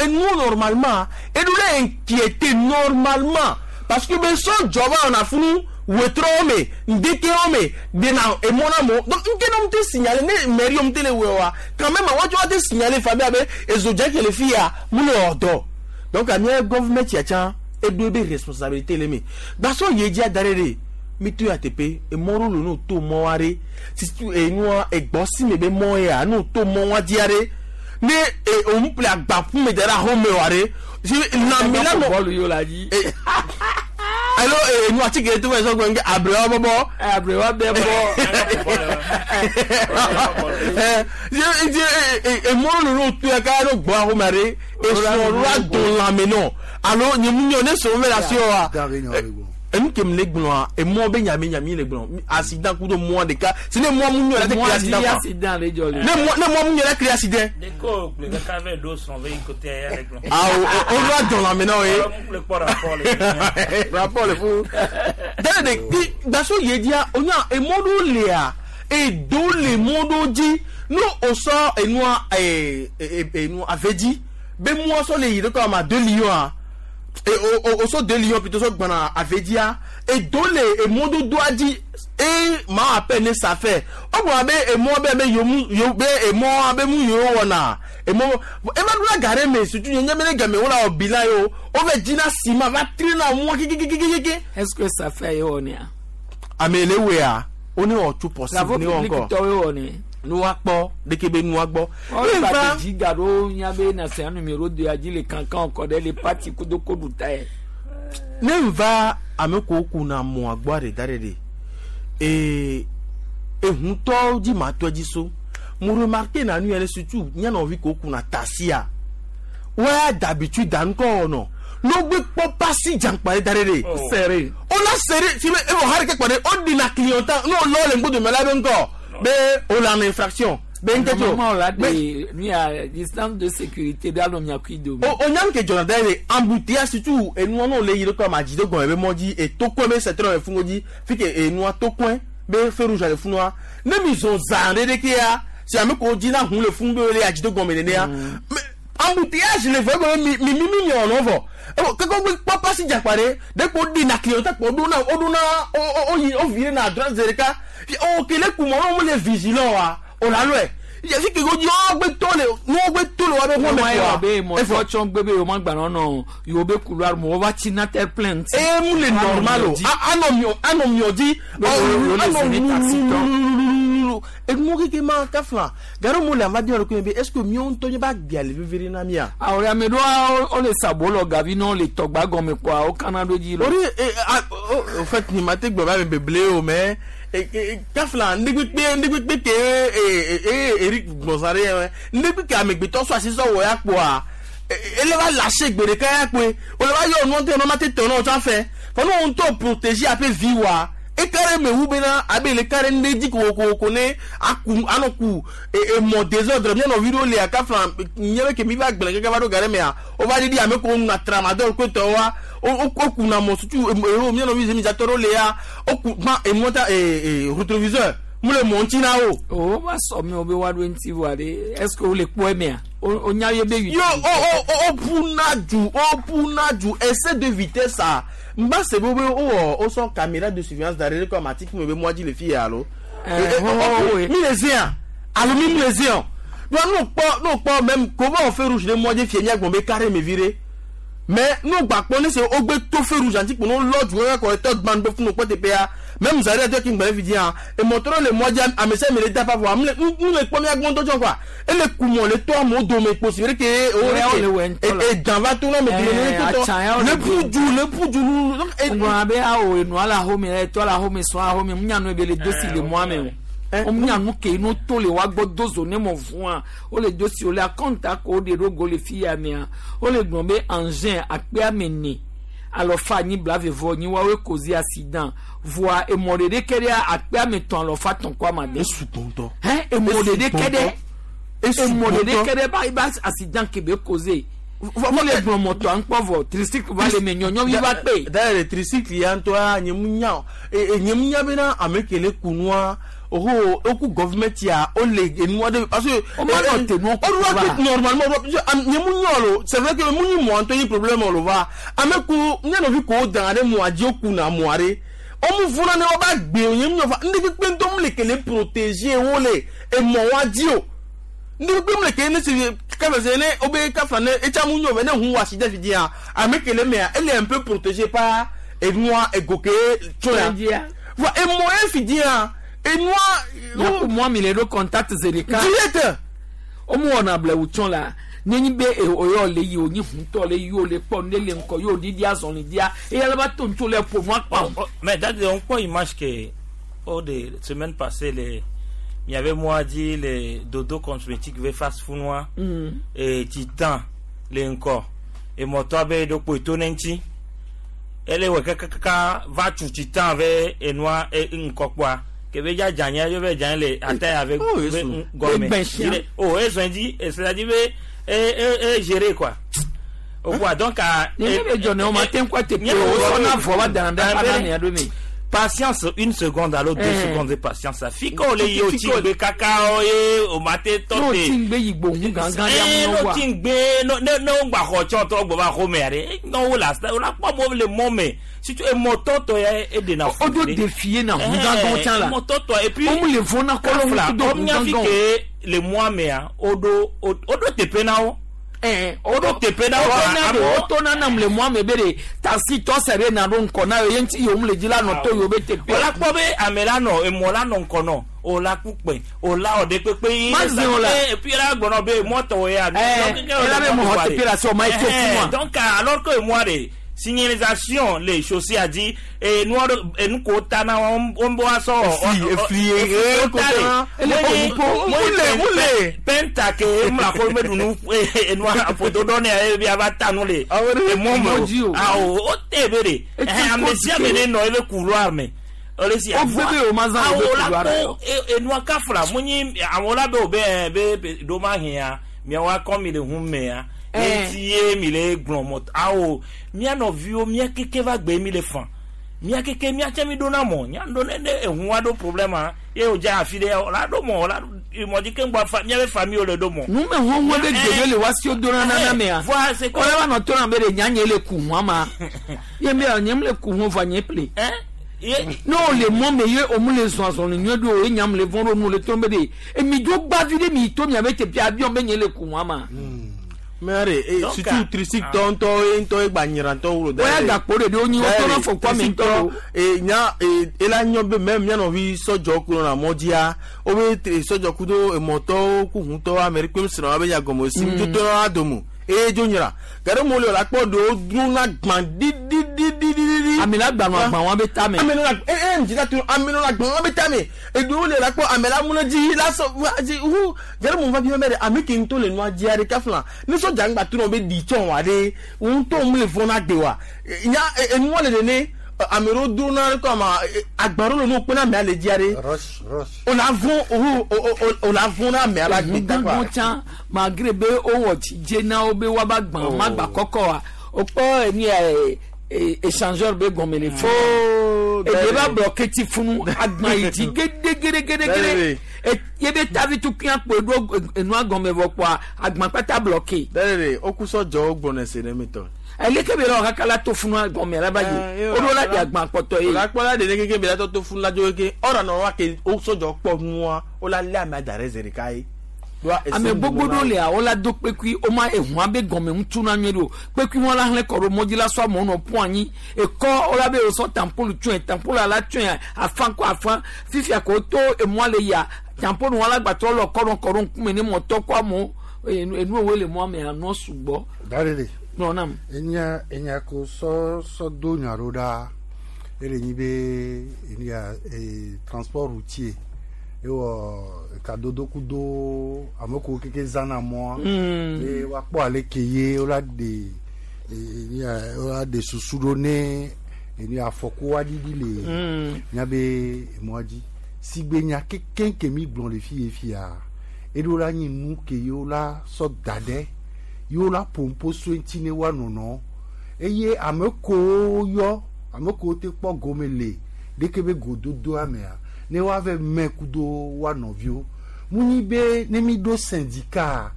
Speaker 22: Enuwo normalement eɖo le inquiété normalement parce que be sɔ dzɔba wɔna funu wetrɔwo me ŋdekewo me dena emɔ na mo donc nke ne te signaler ne mairie wo te le wɔ wa quand même wɔtsɔ wa te signaler fa be abe ezodze ke le fi ya mu le wɔ dɔ donc amia gɔvmɛnt ya tsã eɖo ebe responsabilité le me gbasɔ ye dzia da ɖe ɖe mi to ya teƒe emɔ ɖewo le no to mɔ wa ɖe sisi enua egbɔ si me be mɔ ya no to mɔ wa dzia ɖe ne e òun ple agbaƒu me da ɖe axɔme wa ɖe si lãmi la nɔ
Speaker 2: bɔlu yio la dzi.
Speaker 22: alo enu atike to fɛ sɔgbɛ nke abrewa bɔbɔ.
Speaker 2: Abrewa bɛ bɔ.
Speaker 22: Emɔ ɖewo le to ya kaya ɖo gbɔ axɔme ɖe esrɔ̃ la do lãme nɔ alo nye mu nyɔ ne srɔ̃ mɛ le asi wa enu ke mi le gblɔa emɔ be nyami nyami le gblɔ accident kudo mɔ ɖeka si ne mɔ mu nyɔ la te
Speaker 2: Mɔ
Speaker 22: créer
Speaker 2: dzi
Speaker 22: accident quoi
Speaker 2: accident le dzɔ le.
Speaker 22: ne mɔ mu nyɔ la créer accident.
Speaker 25: Deko le kaka vɛ do srɔ̃ be yi kote ya le gblɔ.
Speaker 22: Ah, o va dɔn lãme na wo ye.
Speaker 25: Le kpɔ rapport le.
Speaker 22: Rapport le fou. Dale de ti gbaso ye dzia onya emɔ ɖewo lia edo le mɔ ɖewo dzi ne o sɔ enua ee enua ave dzi be mɔ sɔ le yi ɖe kɔ ama 2 millions a e o o sɔ 2 millions plutôt sɔ gbɔna ave dzia edo le emɔdodoa dzi e ma appel ne ça fait o gbɔna be emɔ be be yomu yo be emɔ be mu yewo wɔna emɔ ema ɖo la ga ɖe me surtout nye nye be ne game wo la wɔ bilan ye o wo va dzina ciment va tri na mɔ kikikikiki.
Speaker 2: Est-ce que ça fait ye wɔ nea?
Speaker 22: Ame le wea wo ne wɔ tout possible
Speaker 2: Travaux
Speaker 22: ne wɔ
Speaker 2: publics
Speaker 22: ŋkɔ
Speaker 2: tɔwoe wɔ ne.
Speaker 22: ne woakpɔ ɖeke be nua gbɔ.
Speaker 2: Ɔlɔ ba dzi ga ɖo nya be national numéro 2 ya dzi le kankan kɔ ɖe le parti kudo koɖu ta ye.
Speaker 22: Ne va ame ko kuna mɔa gbɔ ɖe da ɖe ɖe ee ehutɔwo dzi ma tɔ dzi so mo remarque na nu yɛrɛ surtout nyanɔvi ko kuna tasia waya d'habitude da ŋkɔ wɔnɔ n'o gbe kpɔ pasi dzankpa ɖe da ɖe ɖe.
Speaker 2: Serré.
Speaker 22: O la serré si be ewɔ hari ke kpɔ ɖe o dina clientant n'o lɔ le ŋgbodo me la be ŋkɔ be o la en infraction be ŋkɛ tso.
Speaker 2: Normalement la de nu ya distance de sécurité ɖe alɔ miakui dome.
Speaker 22: O nyam ke dzɔna da ye embouteillage surtout enua n'o le yi ɖe kɔ ma dzi do gɔme be mɔ dzi etokɔe be secteur me fungo dzi fi ke enua tokɔe be feu rouge le funua ne mi zɔn zã ɖe ɖeke ya si ame ko dzi na hun le fun be le adzi do gɔme nenea mais embouteillage le vɔ egɔme mi mi mi mi nyɔ nɔ vɔ ewɔ keke wo kpɔ pasi dzakpa ɖe ɖe ko ɖi na clientèle kpɔ ɖo na o ɖo na o o o yi o vi ɖe na droite zi ɖeka o kele kumɔ o le vigilant wa o la lɔe yɛsi ke ko dzi wo gbe to le nuwo gbe to le wa be xɔme
Speaker 2: Mɔ
Speaker 22: kɔa
Speaker 2: be mɔ tɔ tsɔn gbe be yewo ma gba nɔ yewo be couloir mɔ wova tsi na terre plainte.
Speaker 22: Eye mu le normal o anɔ miɔ anɔ miɔ dzi anɔ lulululu enuwo keke ma kafla gari mu le amadi yɔrɔ ko be est ce que miɔ ŋutɔ nye ba gbea le vevie na mia.
Speaker 2: Awɔ ame ɖewo wo le sabo lɔ gavi ne wo le tɔgba gɔme kɔa wo kana ɖo dzi lɔ.
Speaker 22: Ori e a o au fait ni ma te gbɔ ba me beble o mais kafla ndegbekpe ndegbekpe ke e e Eric Gbɔnsare yɛ ndegbekpe amegbetɔ sɔ asi sɔ wɔ ya kpoa Ele va lâcher gbe ɖeka ya kpoe. Wòle va yɔ nua ŋutɔ nɔ ma te tɔ na wo tsã fɛ. Fɔ ne wo ŋutɔ protéger aƒe vi wa. Eka ɖe me wu bena abe le ka ɖe ŋɖe dzi kokoko ne aku anɔ ku emɔ désordre mía nɔvi ɖewo lia kafla nye be ke mi va gblẽ keke va ɖo ga ɖe mea wova ɖiɖi ame kewo nuna tramadol kpetɔwoa wokuna mɔ sutu eo mía nɔvi zemidzatɔ ɖewo lia woku gbã emɔ ta rétroviseur mu le mɔ ŋuti na wo.
Speaker 2: O va sɔ mi wo be woaɖo eŋuti vɔa ɖe est ce que wole kpɔ emea o nya ye be
Speaker 22: Yo o ƒuna du o ƒuna du excès de vitesse a n ba se be wo wɔ wosɔ caméra de surveillance da ɖe ɖe kɔ amati me be mɔa dzi le fi ya alo. Mi le zea alo mi le zea donc n'o kpɔ n'o kpɔ même comment on feu rouge ɖe mɔ dzi fie mía gbɔn be carré me vi ɖe mais n'o gba kpɔ ne se wo gbe to feu rouge anti kpo n'o lɔ du kaka kɔ etɔ gban be funu kpɔ teƒea même zari atɔ ki ŋgbɛ fi dia emɔtɔ le mɔ dzi ame sia ame le da fa vɔ ame le nu le kpɔ mía gbɔn tɔ tsɔ quoi ele kumɔ le tɔ amewo dome kpo si ɖe ke o ɖe ke edan va to na ame dome ne tɔ le ƒu du le ƒu du nu.
Speaker 2: Ŋgɔna be awo enua le axome etɔ le axome sɔn axome mu nyanu be le do si le mɔa me o mu nyanu ke ino to le wa gbɔ do zo ne mɔ fua o le do si o le akɔnta ko o de ɖo go le fi ya mea o le gblɔ be engin akpe ame ne alɔfa anyi blave vɔ nyi woawoe kozi accident voa emɔ ɖeɖe ke ɖea akpe ame tɔn alɔfa tɔn kɔ ama de.
Speaker 22: Esu gbɔntɔ.
Speaker 2: Hɛn emɔ ɖeɖe ke ɖe emɔ ɖeɖe ke ɖe ba ba accident ke be koze wọ́n lè gbọ́n mọ̀tò à ń pọ̀ vọ̀ tricycle va le mɛ nyɔnyɔ va kpe.
Speaker 22: D'ailleurs tricycle ya ŋutɔ nye mu nya nye mu nya bena ame ke le kunua oho oku government ya o le enua de parce que.
Speaker 2: O ma nɔ te nua
Speaker 22: kuba. O do normalement o do nye mu nya lo c'est vrai que mu nyi mɔ ŋutɔ nyi problème lo va ame ko nye nɔvi ko dan ɖe mɔa dzi o kuna mɔa ɖe o mu funa ne wo ba gbe o nye mu nya fa ŋɖe kpekpe ŋutɔ mu le kele protéger wo le emɔ wa dzi o ŋɖe kpekpe mu le kele ne se kafa se ne o be kafa ne etsa mu nyɔ vɛ ne hu wa si ɖe fi dia ame kele mea ele un peu protégé par enua ego ke tso ya voa emɔ ye fi dia enua.
Speaker 2: Yaku mɔ mi le ɖo contact zereka.
Speaker 22: Direct.
Speaker 2: O mu wɔna blewu tsɔ la nenyi be oyɔ le yi o nyi huntɔ le yi o le kpɔ ne le ŋkɔ yi o didi azɔli dia eya le ba to ŋutsu le ƒo nua kpam.
Speaker 25: Mais date on kpɔ image ke o de semaine passée le miave moi dit le dodo cosmétique ve face funua et titan le ŋkɔ emɔtɔ be ɖo kpo to ne ŋuti ele wɔ kakaka va tu titan ve enua ŋkɔ kpɔa kebe dza dzanya ye be dzanya le ata ya ve gɔmɛ o ezɔn dzi c'est-à-dire be e gérer quoi o quoi donc a.
Speaker 2: Ne be dzɔ ne o ma te ŋkɔ te pe o sɔna vɔ va dana ɖe ana mia ɖo me.
Speaker 25: Patience, une seconde à l'autre, 2 secondes de patience. Ça fiko le yo tingbe kaka oye o mate tote.
Speaker 2: No tingbe yigbo hun gangan ya
Speaker 25: mu wa. No tingbe no no no gba xɔ tsɔ tɔ gbɔ va xɔ me are. No wo la o la kpɔ mo le mɔ me. Si tu es moto to ya e de na.
Speaker 2: O do défier na hun gangan tsan la.
Speaker 25: Moto to et puis
Speaker 2: o mu le fo na kɔlɔ
Speaker 25: mu do hun gangan. Le mois me a o do o do tepe na o. O do tepe na
Speaker 2: o. O to na nam le mois me be de taxi tɔ sɛ na ɖo ŋkɔ na ye ŋuti yom le dzi la nɔ to yewo be tepe.
Speaker 25: O la kpɔ be ame la nɔ emɔ la nɔ ŋkɔ nɔ o la kukpe o la ɔde kpekpe yi.
Speaker 2: Ma zi o la.
Speaker 25: Et puis la gbɔnɔ be mɔtɔ ya.
Speaker 2: Ɛɛ ela be mɔ tepe la se o ma ye to fún wa.
Speaker 25: Donc alors que moi de signalisation les chaussées a dit et nous et nous kota na on boit ça
Speaker 22: efli mule
Speaker 25: penta ke mla ko me dunu et nous photo donné e bi avata nous les et moi ah o te bere eh amesia me no ele couloir me ole si
Speaker 2: o bebe o mazan
Speaker 25: o couloir et nous kafla munyi awola be be be do ma hia mi wa comme il hum me ya eti mi le gblɔ mɔ awo mía nɔviwo mía keke va gbe mi le fan mía keke mía tse mi ɖo na mɔ mía ɖo ne ne ehu wa ɖo problème ye o dza afi ɖe la ɖo mɔ la mɔdzi ke ŋgbɔ fa mía be famille wo le ɖo mɔ.
Speaker 2: Nu me huhun be gbede le wa si o do na nana mea.
Speaker 25: Voa c'est
Speaker 2: quoi? Wọ́n bá nɔ tó na be de nya nye le ku hun ma. Ye me nye le ku hun va nye ple. Ne o le mɔ me ye o mu le zɔn azɔn le nyuie ɖo o ye nyam le vɔn ɖo nu le tó be de emi dzo gbavi ɖe mi to mia be teƒe abiɔ be nye le ku hun ma.
Speaker 22: Mare, surtout tricycle ŋutɔ ŋutɔ egba nyirantɔ wolo.
Speaker 2: Oya gakpo de o nyi o tɔnɔ fɔ kɔ mi ŋutɔ.
Speaker 22: Nya ela nyɔ be mɛ mía nɔvi sɔdzɔ ku nɔna mɔdzia o be sɔdzɔ ku do emɔtɔwo ku huntɔwo ame ɖe kpem srɔ̃ be nyagɔme sim tso tɔnɔ adomo eye dzo nyra gake mo le la kpɔ ɖewo dro na gbã didididididi.
Speaker 2: Ame la gbanɔ agban wa be tame.
Speaker 22: Ame la e e ŋdzi la to ame la gbɔn wa be tame. Eɖewo le la kpɔ ame la mlɔ dzi la sɔ wa dzi hu gɛrɛ mun fa bi mɛ de ame ke ŋutɔ le nua dzia ɖe kafla ne sɔdza ŋgba to na wo be ɖi tsɔn wa ɖe wo ŋutɔ mu le vɔn na gbe wa nya enua le nene ame ɖewo do na kɔ ama agba ɖewo le nu kpe na amea le dzia ɖe.
Speaker 14: Rush, rush.
Speaker 22: O la vɔn o o o la vɔn na amea la gbe ta
Speaker 2: gãgã tsã malgré be wowɔ dzidze na wo be woava gbã
Speaker 22: Oh.
Speaker 2: magba kɔkɔ wa wokpɔ enu ya échangeur be gɔme le funu eɖe va bloqué ti funu agba yi dzi gedegedegede ye be tavi tukui akpo eɖo enua gɔme vɔ kpoa agba kpata bloqué.
Speaker 22: Dɛrɛ o kusɔ jɔ gbɔnɛ se ne mi tɔ.
Speaker 2: Eleke be la wɔ kaka la to funu gɔme la ba yi o ɖo la di agba kpɔtɔ ye.
Speaker 22: O la kpɔ la de ne keke be la tɔ to funu la dzo keke ɔrɔ nɔ wa ke o sɔjɔ kpɔ nua o la lé ame da ɖe zi ɖeka ye.
Speaker 2: Ame gbogbo ɖewo lia wola do kpekui woma ehua be gɔme ŋutu na nyuie ɖo kpekui wọn la hlẽ kɔ ɖo mɔdzi la sɔ amewo nɔ ƒu anyi ekɔ wola be wosɔ tampolu tsɔe tampolu la tsɔe afã kɔ afã fifia ko to emɔa le yia tampolu wọn la gbatrɔ lɔ kɔ ɖo kɔ ɖo ŋkume ne mɔtɔ kɔ amewo enu wo le mɔa me anɔ sugbɔ.
Speaker 14: Darele.
Speaker 2: Nɔ nam.
Speaker 14: Enya enya ko sɔ sɔ do nya ɖo ɖa ele nyi be enu ya transport routier ewɔ kadodo kudo ame kewo keke zãna mɔa be woakpɔ ale ke ye wola ɖe enu ya wola ɖe susu ɖo ne enu ya afɔku aɖiɖi le míabe emɔa dzi sigbe nya keke ke mi gblɔ le fi ye fia eɖo la nyi nu ke ye wola sɔ da ɖe ye wola ƒoƒo so ŋuti ne woanɔnɔ eye ame kewo yɔ ame kewo te kpɔ gome le ɖeke be gododoa mea ne woave mɛ kudo woa nɔviwo mu nyi be ne mi ɖo syndicat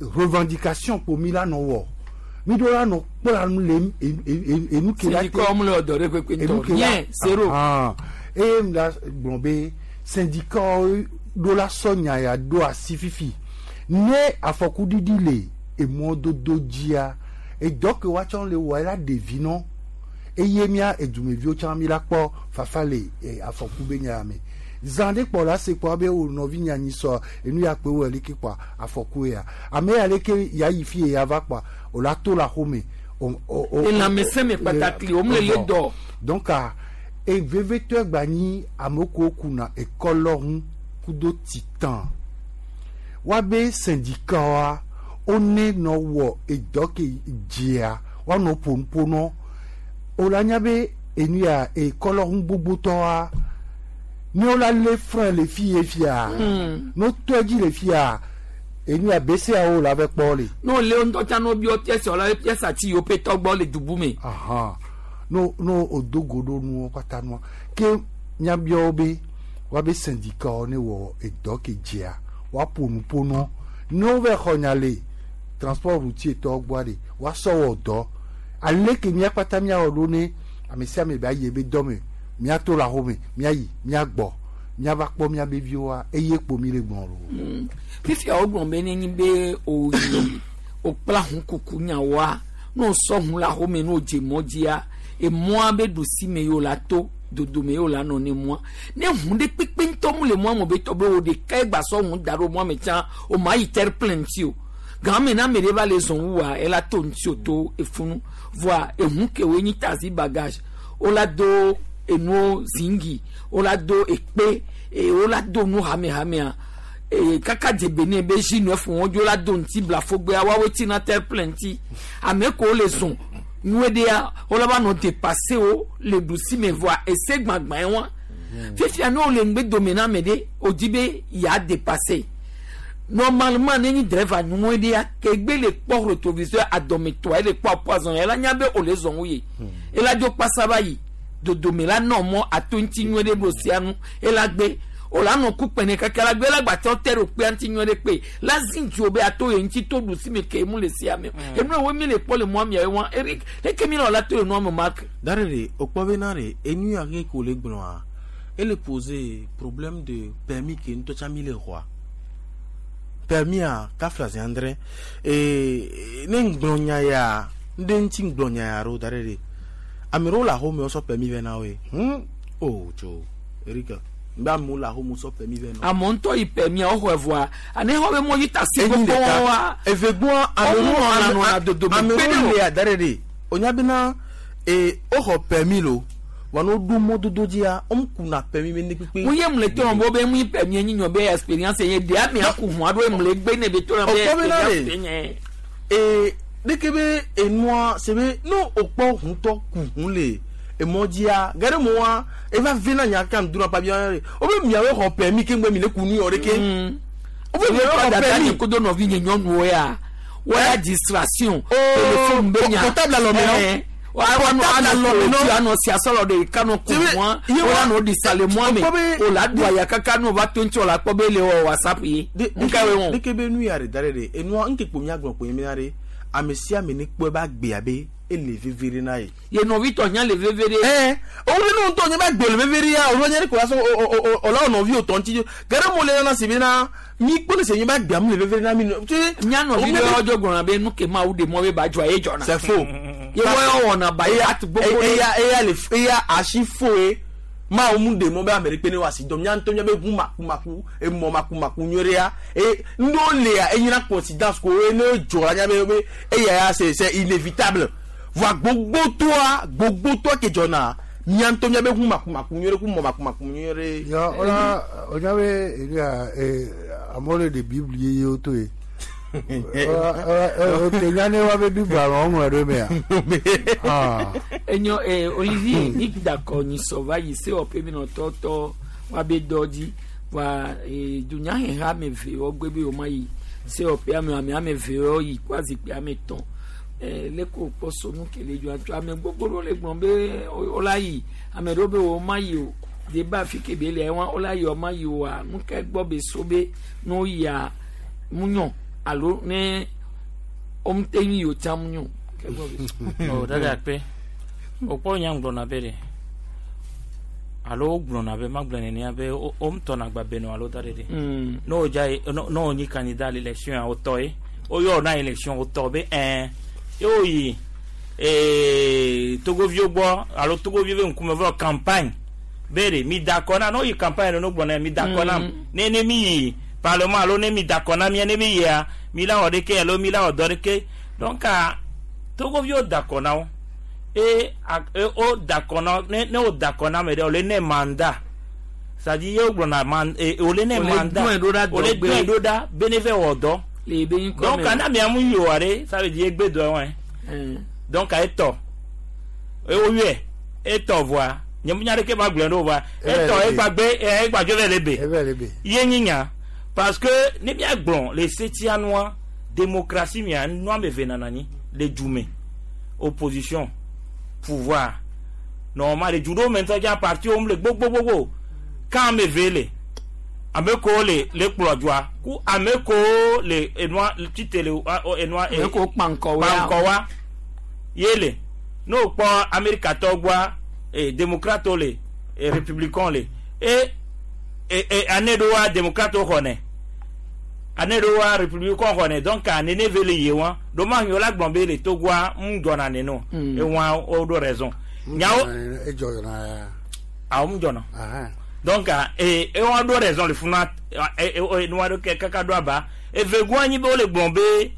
Speaker 14: revendication kpo mi la nɔ wɔ mi ɖo la nɔ kpla nu le enu ke la
Speaker 2: Syndicat mu le wɔ dɔ ɖe kpekpe ŋutɔ.
Speaker 14: enu ke la
Speaker 2: Rien, zéro.
Speaker 14: Ahan. Eye mi la gblɔ be syndicat ɖo la sɔ nya ya ɖo asi fifi ne afɔkuɖiɖi le emɔdodo dzia edɔ ke woatsɔ le wɔ la ɖevi nɔ eye mía edumeviwo tsã mi la kpɔ fafa le afɔku be nya me zã ɖe kpɔ la se kpɔ be wo nɔvi nya nyi sɔ enu ya kpe wo leke kpɔ afɔku ya ame ya leke ya yi fi ya va kpɔ o la to la xome o
Speaker 2: Elãmesẽ me kpatakli, wo mle le dɔ.
Speaker 14: Donc a evevetɔ gba nyi ame kewo kuna ekɔlɔ ŋu kudo titan woabe syndicat wa wone nɔ wɔ edɔ ke dzia woanɔ ƒonuƒo nɔ wola nya be enu ya ekɔlɔ ŋu gbogbotɔa ne wola lé frein le fi ye fia ne wotɔ edzi le fia enu ya BCEAO la va kpɔ le.
Speaker 2: N'o le ŋutɔ tsã n'o biɔ pièce la pièce ati yiwo ƒe tɔgbɔ le dubu me.
Speaker 14: Ahan. No no o do go ɖo nuwo kpata nua ke míabiawo be woabe syndicat ne wɔ edɔ ke dzia woaƒo nuƒo nɔ ne wova xɔ nya le transport routier tɔwo gbɔa ɖe woasɔ wɔ dɔ ale ke mía kpata míawɔ ɖo ne ame sia ame ba yi ebe dɔ me míato le axome míayi míagbɔ míava kpɔ míabe viwoa eye kpo mi le gbɔn lo.
Speaker 2: Fifia wogblɔ be nenye be oyi okpla ʋu kuku nyawoa ne wosɔ ʋu le axome ne wodze mɔ dzia emɔa be ɖusi me yi wo la to dodome yi wo la nɔ ne mɔa ne ʋu ɖe kpekpe ŋutɔ mu le mɔa me be tɔ be wo ɖeka gba sɔ ʋu da ɖo mɔa me tsã o ma yi terre plein ŋuti o game na ame ɖe va le zɔn wua ela to ŋuti o to efunu voa eʋu ke woe nyi taxi bagage wola do enuwo zingi wola do ekpe e wola do nu hamehamea e kaka dze Benin be J9 wɔn dzo la do ŋuti blafogbea woawoe tina terre plein ŋuti ame kewo le zɔn nyuie ɖea wola va nɔ dépassé wo le ɖusi me voa ese gbãgbã ye wa fifia ne wole ŋgbe dome na ame ɖe wòdi be ya dépassé normalement ne nyi driver nyuie ɖea kegbe le kpɔ rétroviseur adɔmetɔa ele kpɔ apoison ela nya be wòle zɔn wu ye ela dzo kpasa va yi dodome la nɔ mɔ ato ŋuti nyuie ɖe ɖo sia nu ela gbe wòle anɔ ku kpene kaka la gbe la gbatsɔ te ɖo kpea ŋuti nyuie ɖe kpe la zi dzo be ato ye ŋuti to ɖusi me ke mu le sia me enu ewo mi le kpɔ le mɔa mia ye wa Eric leke mi le wòla to le nua me Mark.
Speaker 22: Darele o kpɔ bena ɖe enu ya ke ko le gblɔa ele poser problème de permis ke ŋutɔ tsã mi le xɔa permis a kafla zi andre ee ne ŋgblɔ nya ya ŋɖe ŋuti ŋgblɔ nya ya ɖo darele ame ɖewo le axome wosɔ permis vɛ na woe o tso Erika mbe amewo le axome wosɔ permis vɛ na wo.
Speaker 2: Amewo ŋutɔ yi permis a woxɔe vɔa ane xɔ be mɔ dzi taxi
Speaker 22: Enyi
Speaker 2: gbogbo
Speaker 22: ɖeka.
Speaker 2: wa
Speaker 22: Eve gbɔa
Speaker 2: ame ɖewo ame ɖewo
Speaker 22: le ada ɖe ɖe onya bena E woxɔ permis lo wa ne woɖo mɔdodo dzia womkuna permis be ne kpekpe.
Speaker 2: Mu ye mle to bo be mu permis nyi nyo be experience ye de ame aku hu ado mle gbe ne be to na be
Speaker 22: Okpɔ bena
Speaker 2: experience
Speaker 22: ɖe.
Speaker 2: nye.
Speaker 22: E ɖeke be enua se be ne wokpɔ ʋutɔ ku ʋu le emɔ dzia ge ɖe mɔa eva ve na nya kan duna pa bia ɖe wobe miawoe xɔ permis keŋgbe mi le ku nu yɔ ɖeke. Wobe miawoe xɔ
Speaker 2: dada
Speaker 22: permis.
Speaker 2: nye kodo nɔvi nye nyɔnuwo ya wɔya distraction téléphone be nya
Speaker 22: portable alɔ me nɔ.
Speaker 2: Eh, wa
Speaker 22: Portable alɔ me nɔ.
Speaker 2: anɔ si asɔlɔ de kanu kun mɔ wala nɔ di sale mɔ me o la do aya kaka n'o va to ŋuti o la kpɔ be le wɔ whatsapp ye nka ye wɔn.
Speaker 22: Ɖeke be nu ya ɖe da ɖe ɖe enua ŋke kpo mía gblɔ kpo ye mía ɖe ame sia ame ne kpɔe be agbea be ele veve ɖe na ye.
Speaker 2: Ye nɔvi tɔ nya le veve ɖe.
Speaker 22: Ɛɛ o ne ŋutɔ nye be agbe le veve ɖe ya o nye ɖe ko la sɔ o o o o la wɔ nɔvi o tɔ ŋuti ge ɖe mo le nana si be na mi kpɔ ne se nye be agbea mu le veve ɖe na mi.
Speaker 2: Nya nɔvi ɖe wɔdzɔ gblɔna be nu ke mawu ɖe mɔ be ba dzɔ ye dzɔna.
Speaker 22: C'est faux.
Speaker 2: Ye wɔ wɔna ba ye atu gbogbo ɖe.
Speaker 22: Eya eya le eya asi fo ye maawo mu ɖe mɔ be ame ɖekpe ne wɔ asi dɔm nya ŋutɔ nya be ʋu makumaku emɔ makumaku nyuie ɖe ya eye nuɖewo lia enyina coïncidence ko ye ne dzɔ la nya be be eya ya c'est c'est inévitable voa gbogbotɔa gbogbotɔa ke dzɔna mia ŋutɔ nya be ʋu makumaku nyuie ɖe ku mɔ makumaku nyuie ɖe.
Speaker 14: Ya ola onya be elia e amewo le ɖe Bible yeye wo to ye. Ola ote nya ne wa be Bible alo ŋlɔ ɖe mea. Ah.
Speaker 2: Enyo eh, Olivier ní dakɔ nyisɔ va yi se wɔƒe mi nɔ tɔtɔ wa be dɔ dzi wa eh, dunyaheha ame eve wɔ gbe be woma yi se wɔƒe ame ame ame eve wɔ yi kó azikpui ame tɔn eh, leko kpɔ sonu kele dzɔ atso ame gbogbo ɖewo le gblɔm be wola yi ame ɖewo be woma yi o de ba afi ke be lia wa wola yi woma yi oa nu ke gbɔ be so be ne woyia mu nyɔ alo ne womte ŋu yi o tsã mu nyɔ ke gbɔ be so.
Speaker 25: O dada akpe wokpɔ nya gblɔna be ɖe alo wogblɔna be magblɔ nenea be womtɔna gba benɔ alo da ɖe ɖe ne wodza yi ne wonyi candidat le élection ya wotɔ ye woyɔ na élection wotɔ be ɛɛ ye woyi ee togoviwo gbɔ alo togoviwo be ŋkume vɔ campagne be ɖe mi da akɔ na ne woyi campagne ɖe ne wogblɔna mi da akɔ na ne ne mi yi parlement alo ne mi da akɔ na mia ne mi yia mi la wɔ ɖeke alo mi la wɔ dɔ ɖeke donc togoviwo da akɔ na wo e o da akɔ na ne ne wo da akɔ na ame ɖe wòle ne mandat c'est-à-dire ye wogblɔna man e wòle ne mandat wòle dɔe ɖo ɖa be ne vɛ wɔ dɔ donc ana mia mu yi oa ɖe ça veut dire egbe dɔ wɔe donc etɔ woyɔe etɔ vɔa nye mu nya ɖeke ma gblɔe ɖo vɔa etɔ egbagbe egbadzo vɛ le be ye nyi nya parce que ne mia gblɔ le setia nua démocratie mia nua ame eve nana anyi le du me opposition pouvoir normalement le du ɖewo me ŋutɔ dza parti wo le gbogbogbogbo kan ame eve le ame kewo le le kplɔ dzoa ku ame kewo le enua tite le enua.
Speaker 2: Ame kewo kpankɔ wa
Speaker 25: kpankɔ wa ye le ne o kpɔ amerikatɔwo gbɔa e démocratewo le e républicain le e e e ane ɖewoa démocratewo xɔnɛ ane ɖewoa républicain xɔnɛ donc nene ve le ye wa ɖomahi wo la gblɔ be le togoa ŋu dzɔna nene ewa wo ɖo raison nyawo
Speaker 14: Edzɔ na ya.
Speaker 25: awo ŋu dzɔna donc e ewa ɖo raison le funa e e nua ɖo ke kaka ɖo aba evegua nyi be wole gblɔ be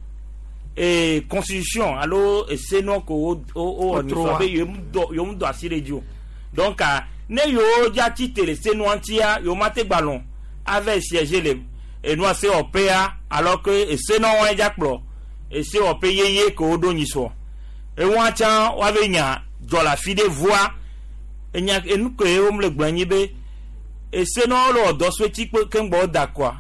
Speaker 25: e constitution alo ese nua ko wo wo wɔ nisɔ be yewo mu dɔ asi ɖe dzi o donc ne yewo dza tsi te le se nua ŋutia yewo ma te gbalɔ ava siéger le enua se wɔƒea alors que ese nua wɔe dza kplɔ ese wɔƒe yeye ke wo ɖo nyisɔ ewa tsã woave nya dzɔ le afi ɖe voa enya enu ke wo le gblɔ nyi be ese nua le wɔ dɔ so etsi keŋgbɔ wo da kɔa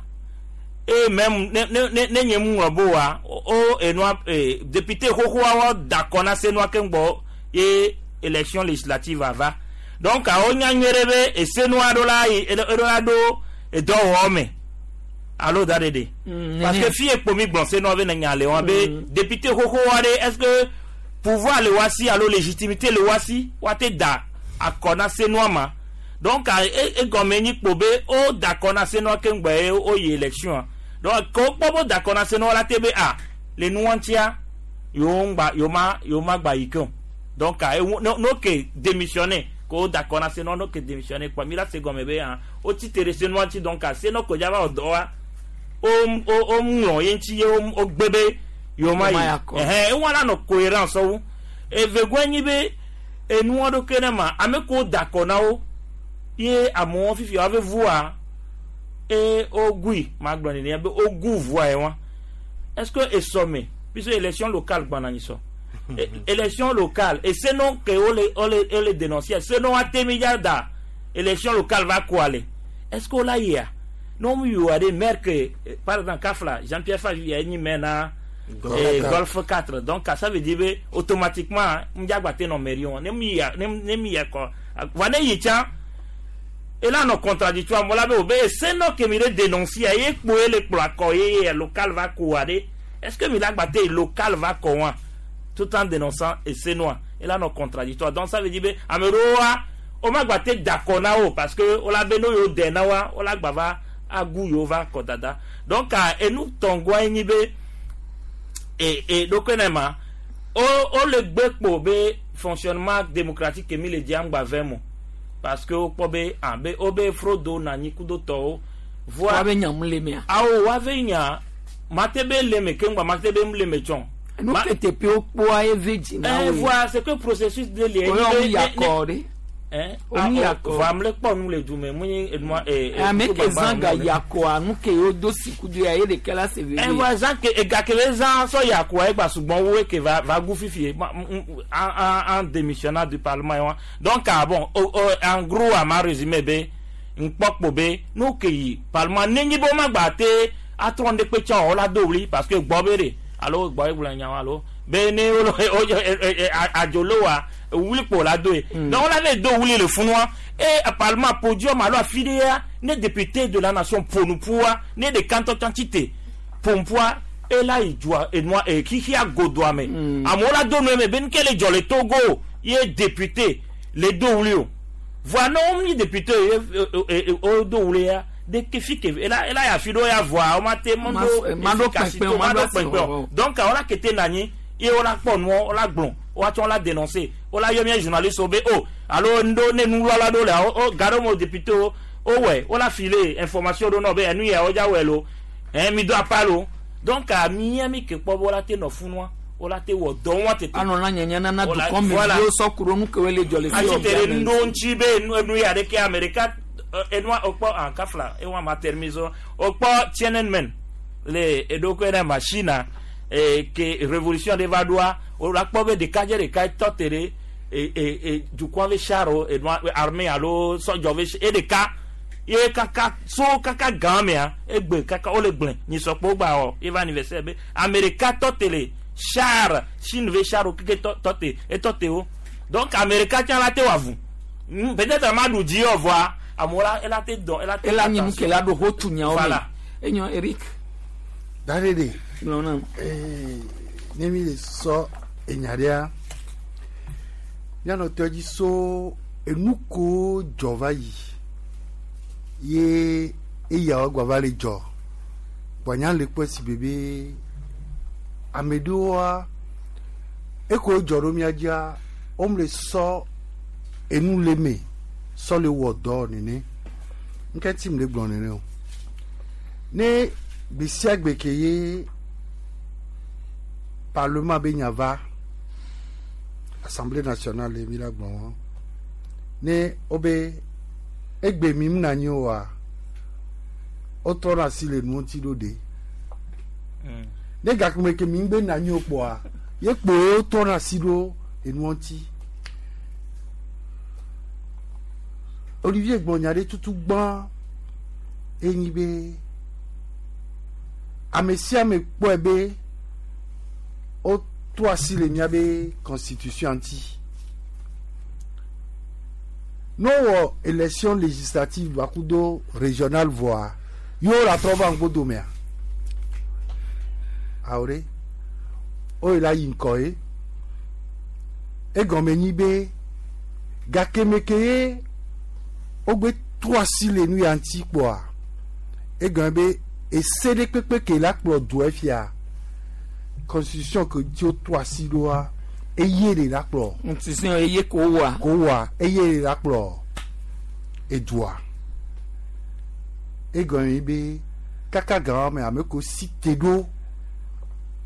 Speaker 25: eye même ne ne ne ne nye mu ŋlɔ bo wa o enua ee député xoxoa wɔ da kɔ na senua keŋgbɔ ye élection législative ava donc awo nya nyuie ɖe be esenua ɖo la yi eɖo la ɖo edɔwɔwɔ me alo da ɖe ɖe parce que fi ekpo mi gblɔ senua be ne nya le wa be député xoxoa ɖe est ce que pouvoir le wa si alo légitimité le wa si wa te da akɔ na senua ma donc egɔme nyi kpo be o da akɔ na senua keŋgbɔ ye o yi élection donc ko kpɔ bo da akɔ na senua la te be a le nua ŋutia yewo ŋgba yewo ma yewo ma gba yi ke o donc ewu no no ke démissionner ko da akɔ na senua no ke démissionner kpɔ mi la se gɔme be hã o tsi te ɖe senua ŋuti donc senua ko dza va wɔ dɔ wa o o o ŋlɔ ye ŋuti ye o gbe be yewo ma yi ɛhɛn ewa la nɔ cohérence wu evegɔe nyi be Enua ɖo ke ne ma ame ko da akɔ na wo ye amewo fifi woave vua e wogui magblɔ nene be wogu vua ye wa. Est-ce que esɔme puisque élection locale gbana anyi sɔ élection locale et sinon que on le dénoncer sinon atemi da élection locale va quoi aller? Est-ce qu'on l'a yia non mu yiwa de maire que par exemple Kafla Jean-Pierre Favi ya nyi maire na Golf 4, donc ça veut dire be automatiquement m'diagba te no mairie on ne mi ya ne mi ya ko va ne yi tsa et là non contradictoire mo la be obe c'est non que mi le dénoncer ye kpo le kplo akɔ ye local va quoi de. Est-ce que mi la gba te local va quoi tout en dénonçant et c'est noir et là non contradictoire? Donc ça veut dire be ameroa o ma gba te d'accord na o parce que o la be no yo de na wa o la gba va agu yo va kɔ dada. Donc enu tɔngua enyi be e ɖokui ne ma o le gbe kpo be fonctionnement démocratique mi le di angba vɛ mo parce que wokpɔ be ah be wo be frodo na anyi kudo tɔwo.
Speaker 2: Voa woabe nya mu le mea?
Speaker 25: Awo woabe nya mate be le me keŋgba mate be mu le me tsɔn.
Speaker 2: Nu ke teƒe wokpɔa eve dzi na
Speaker 25: wo. Voa c'est que processus de le.
Speaker 2: Oyɔ mu yakɔ ɖe.
Speaker 25: Omu yakɔ. Voa ame le kpɔ nu le du me mu nyi enua.
Speaker 2: Ame ke zã ga yakɔa nu ke wo do sikudu ya ye ɖeka la se veve.
Speaker 25: Voa zã ke ega ke le zã sɔ yakɔa egba sugbɔn wo ke va gu fifi en démissionnant du parlement ye wa. Donc ah bon, en gros a ma résumé be nkpɔkpo be nu ke yi parlement nenyi be wo ma gba te atrɔ ŋɖe kpe tsã o la do wli parce que gbɔ be de alo gbɔ egblɔ nya alo be ne wo adzolo wa wuli kpo la do ye. Donc on avait do wuli le funua et parlement podium alo afi ɖe ya ne député de la nation ponupua ne de kantɔ tsãtsi ponpua ela yi dua enua e xixia godoa me amewo la do nu eme be nuke le dzɔ le Togo ye député le do wuli o. Voa ne wo mi député ye wo do wuli ya de ke fi ke ela ya fi ɖo ya voa wo ma te
Speaker 2: mando
Speaker 25: efficacité
Speaker 2: kpekpe o,
Speaker 25: mando
Speaker 2: mando
Speaker 25: kpekpe o. Donc wo la kete na anyi ye wo la kpɔ nuɔ wo la gblɔ woatsɔ la dénoncer wo la yɔ mía journaliste wo be o alo ŋɖo ne nuwlɔla ɖo le o ga ɖo me député wo wowɔe wo la file information ɖo nɔ be enu ya wo dza wɔe lo ɛn mi do apa lo. Donc a mía mi ke kpɔ be wo la te nɔ funua wo la te wɔ dɔ wɔn tete.
Speaker 2: Anɔ na nyanya nana
Speaker 25: Voilà,
Speaker 2: dukɔ me
Speaker 25: voilà.
Speaker 2: viwo sɔ ku ɖo nu ke woe le dzɔ le fi
Speaker 25: Asi te ɖe
Speaker 2: ɔbia me.
Speaker 25: ŋɖo ŋuti be enu ya ɖeke ame ɖeka enua okpɔ en kafla ewa ma termiso okpɔ Tiananmen le eɖokui ɖe machine ke révolution ɖe va ɖoa o la kpɔ be ɖekadze ɖeka tɔ te ɖe e e e dukɔa be char enua armée alo sɔdzɔ be e ɖeka ye kaka so kaka gã mea egbe kaka wole gblẽ nyisɔkpo gba wɔ eva anniversaire be ame ɖeka tɔ te le char Chine be char keke tɔ te etɔ te wo. Donc ame ɖeka tsã la te wɔ avu. Peut-être ama ɖu dzi yɔ vɔa amewo la ela te dɔn ela te
Speaker 2: Ela nye nu ke la ɖo ho tu nyawo me.
Speaker 25: Voilà.
Speaker 2: Enyo Eric.
Speaker 14: Darede.
Speaker 2: Gblɔ nam.
Speaker 14: Ne mi le sɔ enya ɖea míanɔ tɔ dzi so enu ko dzɔ va yi ye eyawo gba va le dzɔ gbanya le kpɔ si bebe ame ɖewoa eko dzɔ ɖo mía dzia wome le sɔ enu le me sɔ le wɔ dɔ nene nke ti mi le gblɔ nene o ne gbe sia gbe ke ye parlement be nya va Assemblée nationale mi la gblɔ wɔn ne wobe egbe mi mna anyi oa wotrɔna asi le nu ŋuti ɖo ɖe ne gakeme ke mi ŋgbe na anyi o kpoa ye kpo wotrɔna asi ɖo enu ŋuti. Olivier gblɔ nya ɖe tutu gbã enyi be ame sia ame kpɔe be wotrɔ asi le míabe constitution ŋuti ne wowɔ élection législative bakudo régionale voa yewo la trɔ va ŋgbo domea awo ɖe woyi la yi ŋkɔ ye egɔme nyi be gakeme ke ye wogbe trɔ asi le nu ya ŋuti kpoa egɔme be ese ɖe kpekpe ke la kplɔ doa fia constitution ke dzi wotrɔ asi ɖoa eye le la kplɔ.
Speaker 2: Constitution eye ko wa.
Speaker 14: Ko wa eye le la kplɔ edua egɔme be kaka gã me ame ko si te ɖo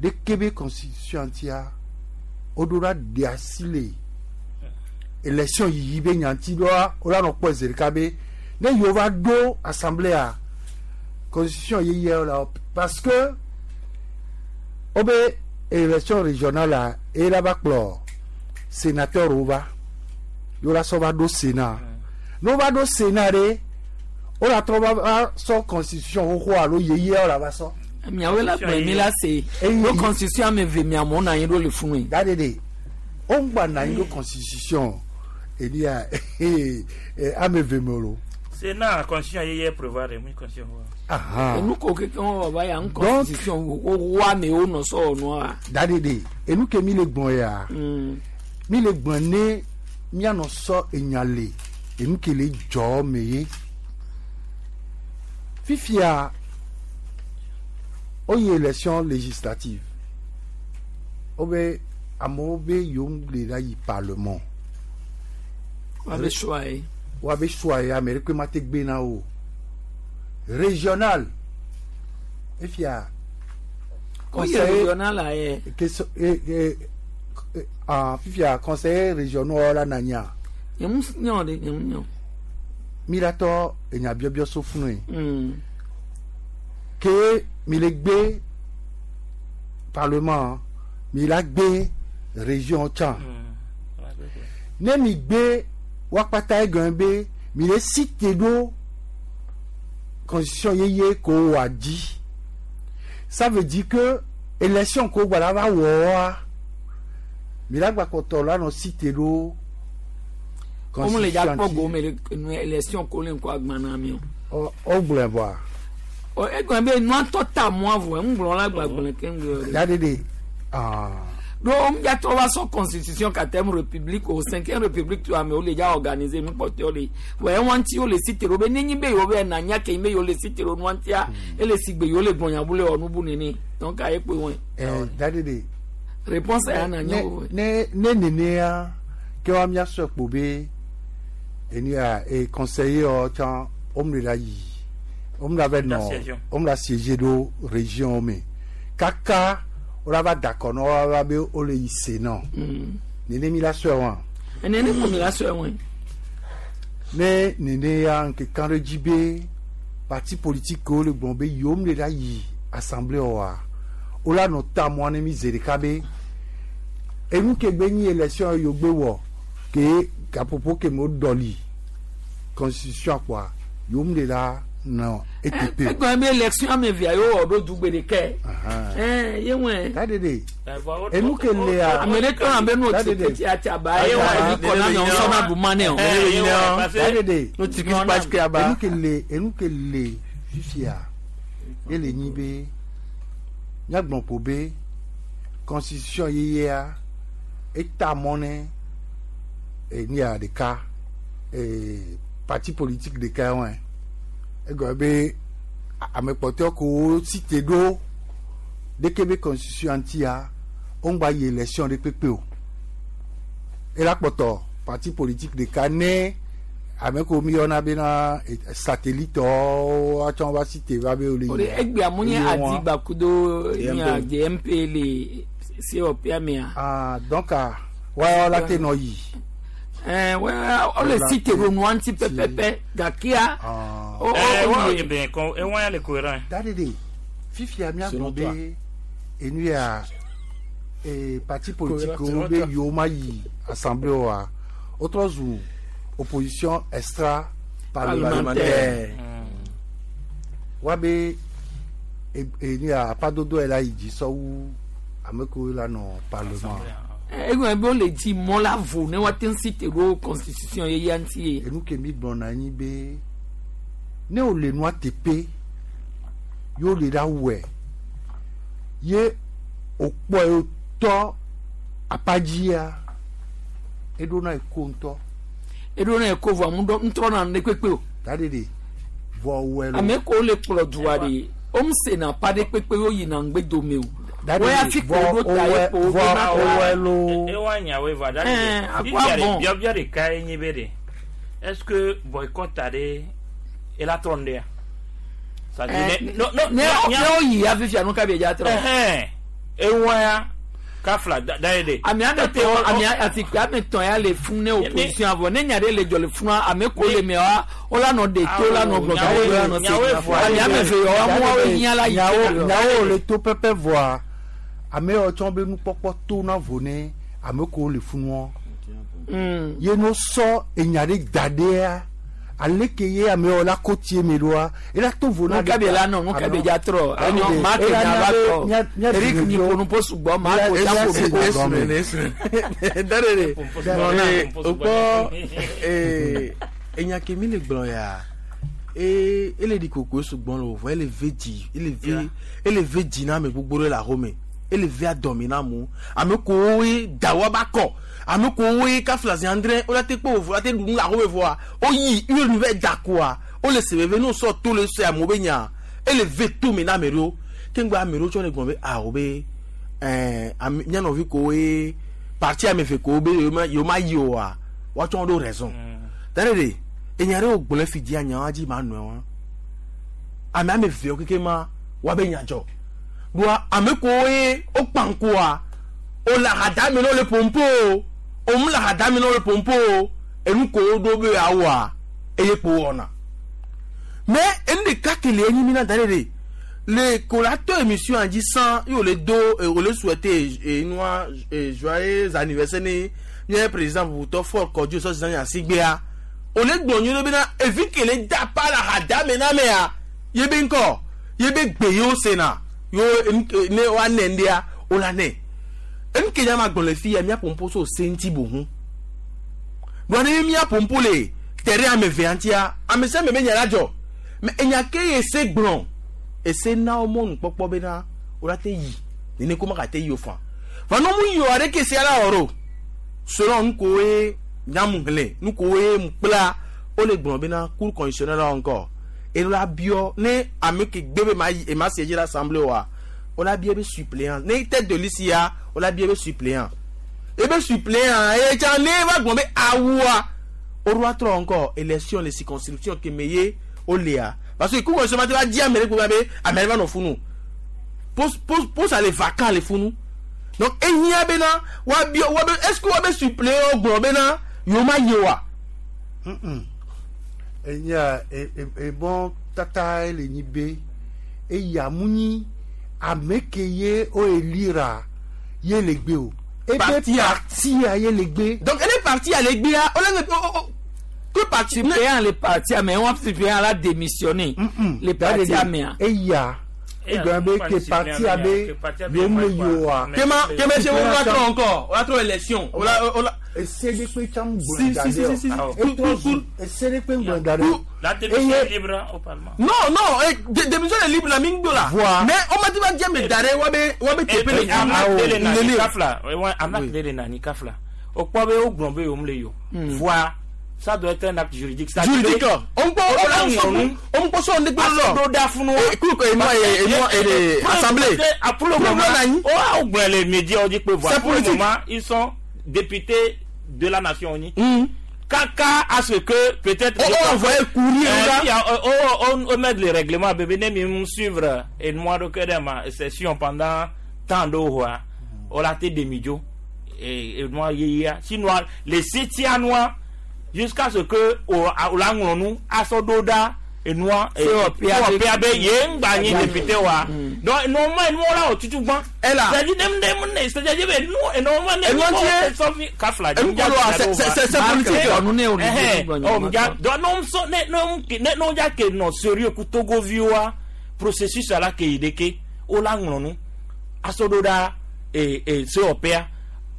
Speaker 14: ɖeke be constitution ŋutia woɖo la ɖe asi le élection yiyi be nyanti ɖoa wola nɔ kpɔ zi ɖeka be ne yewo va ɖo assemblée constitution yeye la parce que wobe élection régionale la eye la va kplɔ sénateur wo va yewo la sɔ va ɖo sénat ne wo va ɖo sénat ɖe wo la trɔ va sɔ constitution xoxo alo yeye la va sɔ.
Speaker 2: Miawoe la gblɔe mi la se ɖo constitution ame eve miamewo nɔ anyi ɖo le funu.
Speaker 14: Da de de wo ŋgba nɔ anyi ɖo constitution elia ame eve me o.
Speaker 25: Sénat constitution yeye prévoir de mi constitution.
Speaker 2: Enu ko keke wɔn baba ya n constitution wo wa amewo nɔ sɔ nua.
Speaker 14: Da de de enu ke mi le gbɔn ya mi le gbɔn ne mianɔ sɔ enya le enu ke le dzɔ me ye fifia. Oye élection législative obe amewo be yewo le la yi parlement.
Speaker 2: Wabe choix ye.
Speaker 14: Wabe choix ye ame ɖeke ma te gbe na wo. Régional efia.
Speaker 2: Oye régional la ye.
Speaker 14: Fifia conseiller régional la nanya.
Speaker 2: Nyemu nyɔ de nyemu nyɔ.
Speaker 14: Mi la tɔ enya biɔbiɔ so funu ye. Ke mi le gbe parlement mi la gbe région tsã ne mi gbe wakpata egɔn be mi le cité ɖo constitution yeye ko wa dzi ça veut dire que élection ko gba la va wɔa mi la gba kpɔtɔ la nɔ cité ɖo
Speaker 2: constitution le dza kpɔ gome le élection ko le ŋkɔ agbana mi
Speaker 14: o. O gblɔe bɔa.
Speaker 2: Egɔn be nua tɔ ta mɔa vɔ ŋgblɔ la gbagblẽ ke ŋgblɔ.
Speaker 14: Ya de de.
Speaker 2: Donc miatrɔ va sɔ constitution quatrième république o cinquième république to amewo le dza organiser nukpɔtɔwo le wɔ ewa ŋuti wo le si te ɖo be nenyi be yewo be na nya ke be yewo le si te ɖo nua ŋutia ele si gbe yewo le gbɔnyabu le wɔ nubu nene donc aye kpe wɔe.
Speaker 14: Da de de.
Speaker 2: Réponse ya na nya wo.
Speaker 14: Ne ne nenea ke wa miasɔ kpo be enia e conseiller wɔ tsã wo le la yi. On l'avait non, on l'a siégé do région mais kaka on l'a d'accord non on va be o le sénat. Néné mi la sœur wa.
Speaker 2: Néné ko mi la sœur wa.
Speaker 14: Mais néné ya nke kan re jibe parti politique ko le bon be yom le la yi assemblée wa. O la no ta mo ne mi zereka be enu ke gbe ni élection yo gbe wo ke à propos ke mo doli constitution quoi yom le la non ETP.
Speaker 2: Egɔn be élection ame via yewo wɔ ɖo dugbe ɖeke. Ye ŋue.
Speaker 14: Da de de. Enu ke le ya.
Speaker 2: Ame ɖe tɔ na be n'o ti ti atiaba ye wa ebi kɔ na miawo sɔ na bu ma ne o.
Speaker 14: Da de de.
Speaker 22: N'o ti kisi pasi ke aba.
Speaker 14: Enu ke le fifia ele nyi be miagblɔ be constitution yeyea eta mɔ ne enia ɖeka parti politique ɖeka wɔe. Egɔme be ame kpɔtɔewo ko cité ɖo ɖeke be constitution ŋutia wo ŋgba yi élection ɖe kpekpe o ela kpɔtɔ parti politique ɖeka ne ame ko mi yɔna bena satellite wo atsɔ va cité va be wo le yi.
Speaker 2: Egbea mu nye Adigba kudo nya GMP le COP mea.
Speaker 14: Ah donc wa la te nɔ yi.
Speaker 2: O le cité ɖo nua ŋuti pɛpɛpɛ gakea.
Speaker 14: Da de fifia miagblɔ be enu ya parti politique wo be yewo ma yi assemblée wa wotrɔ zu opposition extra parlementaire wa be enu ya apadodo yɛ la yi dzi sɔwu ame kewo la nɔ parlement.
Speaker 2: Egɔn be wole dzi mɔ la vo ne woate ŋu si te ɖo constitution yeyea ŋuti ye.
Speaker 14: Enu ke mi gblɔna anyi be ne wo le nua teƒe ye wo le ɖa wɔe ye wòkpɔe wòtɔ apadzia eɖona eko ŋutɔ.
Speaker 2: Eɖona eko vɔ amu ɖɔ ŋutrɔna nu ɖe kpekpe o.
Speaker 14: Da de de vɔ wɔe lo.
Speaker 2: Ame kewo le kplɔ dua ɖe wo sena pa ɖe kpekpe wo yina ŋgbe dome o. Wọ́n fi kò ɖo ta ye ko
Speaker 14: vɔ wɔe lo.
Speaker 25: Ewa nyawoe va da de de biabia ɖeka ye nye be de est-ce que boycott ɖe ela trɔ nu ɖea.
Speaker 2: Ne wo yi ya fifia nu ka bi dza trɔ.
Speaker 25: Ewa ya Kafla da ye de.
Speaker 2: Ame ame tɔ ame asikpe ame tɔ ya le fún ne opposition avɔ ne nya ɖe le dzɔ le fún ame ko le mɛ wa wo la nɔ de to la nɔ gblɔ gawo la nɔ se ame ame ve yɔ wa mu wa hiã la yi.
Speaker 14: Nyawo le to pɛpɛ vɔa ame yawo tsɔ be nukpɔkpɔ to na vo ne ame ko le funua. Ye no sɔ enya ɖe da ɖea aleke ye ame yawo la ko tie me ɖoa ela to vo na.
Speaker 2: Nuka be la nɔ nuka be dza trɔ enyo maa ke nya va tɔ Eric mi ƒonu po sugbɔ maa ko dza ƒo po.
Speaker 22: Darere okpɔ enya ke mi le gblɔ ya ele ɖi koko sugbɔ le o vɔ ele ve dzi ele ve dzi na ame gbogbo ɖe le axome ele ve adɔme na amewo ame kowoe da woaba kɔ ame kowoe kafla zi andre wola te kpɔ vovo la te ɖu nu le axome vɔa woyi ye nu va da koa wole se veve ne wosɔ to le se amewo be nya ele ve tome na ame ɖewo keŋgbe ame ɖewo tsɔ le gblɔm be awo be ɛɛ ame mía nɔvi kowoe parti ame eve kowo be yewo ma yi oa woatsɔ ɖo raison da ɖe ɖe enya ɖe wogblɔ fi dzia nyawoa dzi ma nɔe wa ame ame evewo keke ma woabe nya dzɔ ɖoa ame kowoe wokpa ŋkua wole ahadame na wo le pompo o wòm le ahadame na wo le pompo o enu ko woɖo be yeawoa eye kpo wɔna mais enu ɖeka ke le enyi mi na da ɖe ɖe le ko la tɔ émission dzi san ye wòle do wòle souhaiter enua joyeux anniversaire ne mía président bubutɔ Faure Kɔdzo sɔ zan asigbea wòle gblɔ nyuie ɖe bena evi ke le da pa le ahadame na mea ye be ŋkɔ ye be gbe yewo sena yewo ne woanɛ ŋɖea wola nɛ enu ke nya ma gblɔ le fi ya mía pompo so se ŋuti boŋu ɖoa ne mía pompo le te ɖe ame evea ŋutia ame sia ame be nya la dzɔ mais enya ke ye se gblɔ ese na wo mɔnukpɔkpɔ bena wola te yi nene ko magate yi o fa va ne mu yi o aɖeke sia la wɔ ɖo selon nu kowoe nyamu hlẽ nu kowoe mu kpla wole gblɔ bena cour constitutionnelle la ŋkɔ elo la biɔ ne ame ke gbe be ma yi ema siéger l'assemblée oa wola biɔ be suppléant ne tête de liste ya wola biɔ be suppléant ebe suppléant eye tsã ne va gblɔ be awua woɖo atrɔ ŋkɔ élection le circonscription ke me ye wolea parce que cour constitutionnelle ma te va di ame ɖe kpe be ame ɖe va nɔ funu poste poste poste ale vacant le funu donc ehiã bena woabiɔ woabe est ce que woabe suppléant gblɔ bena yewo ma yi oa.
Speaker 14: Enya ebɔn tata le nyi be eya mu nyi ame ke ye o elira ye le gbe o. Ebe partia ye le gbe.
Speaker 22: Donc ele parti ale gbea ole que parti
Speaker 2: suppléant le parti mais on suppléant la démissionné le parti amea.
Speaker 14: Eya egblɔ be ke parti abe yom le yoa.
Speaker 22: Kema kema se wo la trɔ encore o la trɔ élection o la o la.
Speaker 14: Ese de kpe tsam gblɔ da
Speaker 22: Si, si, si, si, si.
Speaker 14: Ese de kpe gblɔ da ɖe.
Speaker 25: La démission est libre au Parlement.
Speaker 22: Non, non, démission est libre la mingi la.
Speaker 14: Voa.
Speaker 22: Mais on m'a dit va dire mais dare wa be wa be tepe le.
Speaker 25: Amak de le nani kafla. Amak de le nani kafla. O kpɔ be o gblɔ be yom le yo. Voa. Ça doit être un acte juridique.
Speaker 22: Juridique. On peut on peut on peut
Speaker 25: on da funu.
Speaker 22: Écoute et moi et assemblée.
Speaker 25: Pour le moment, oh oh les médias ont dit que voilà.
Speaker 22: C'est politique.
Speaker 25: Pour le moment, ils sont députés de la nation unie. Kaka à ce que peut-être
Speaker 22: on envoyait courir
Speaker 25: on met le règlement bébé ne me suivre et moi de que ma session pendant tant d'heures on a été demi-jo et moi hier sinon les citoyens noirs jusqu'à ce que o la ŋlɔ nu asɔdoda enua COPAB ye ŋgba nyi député wa donc normalement enu la o tutu gbã.
Speaker 22: Ela
Speaker 25: c'est-à-dire ne ne ne c'est-à-dire be nu normalement ne
Speaker 22: Enu ŋutie-
Speaker 25: sɔfi kafla
Speaker 22: enu kolo wa c'est politique.
Speaker 25: Ɛhɛn ɔ ja donc n'o sɔ ne ne ne n'o ja ke nɔ sérieux ku Togovi wa processus ala ke yi de ke o la ŋlɔ nu asɔdoda e e COPA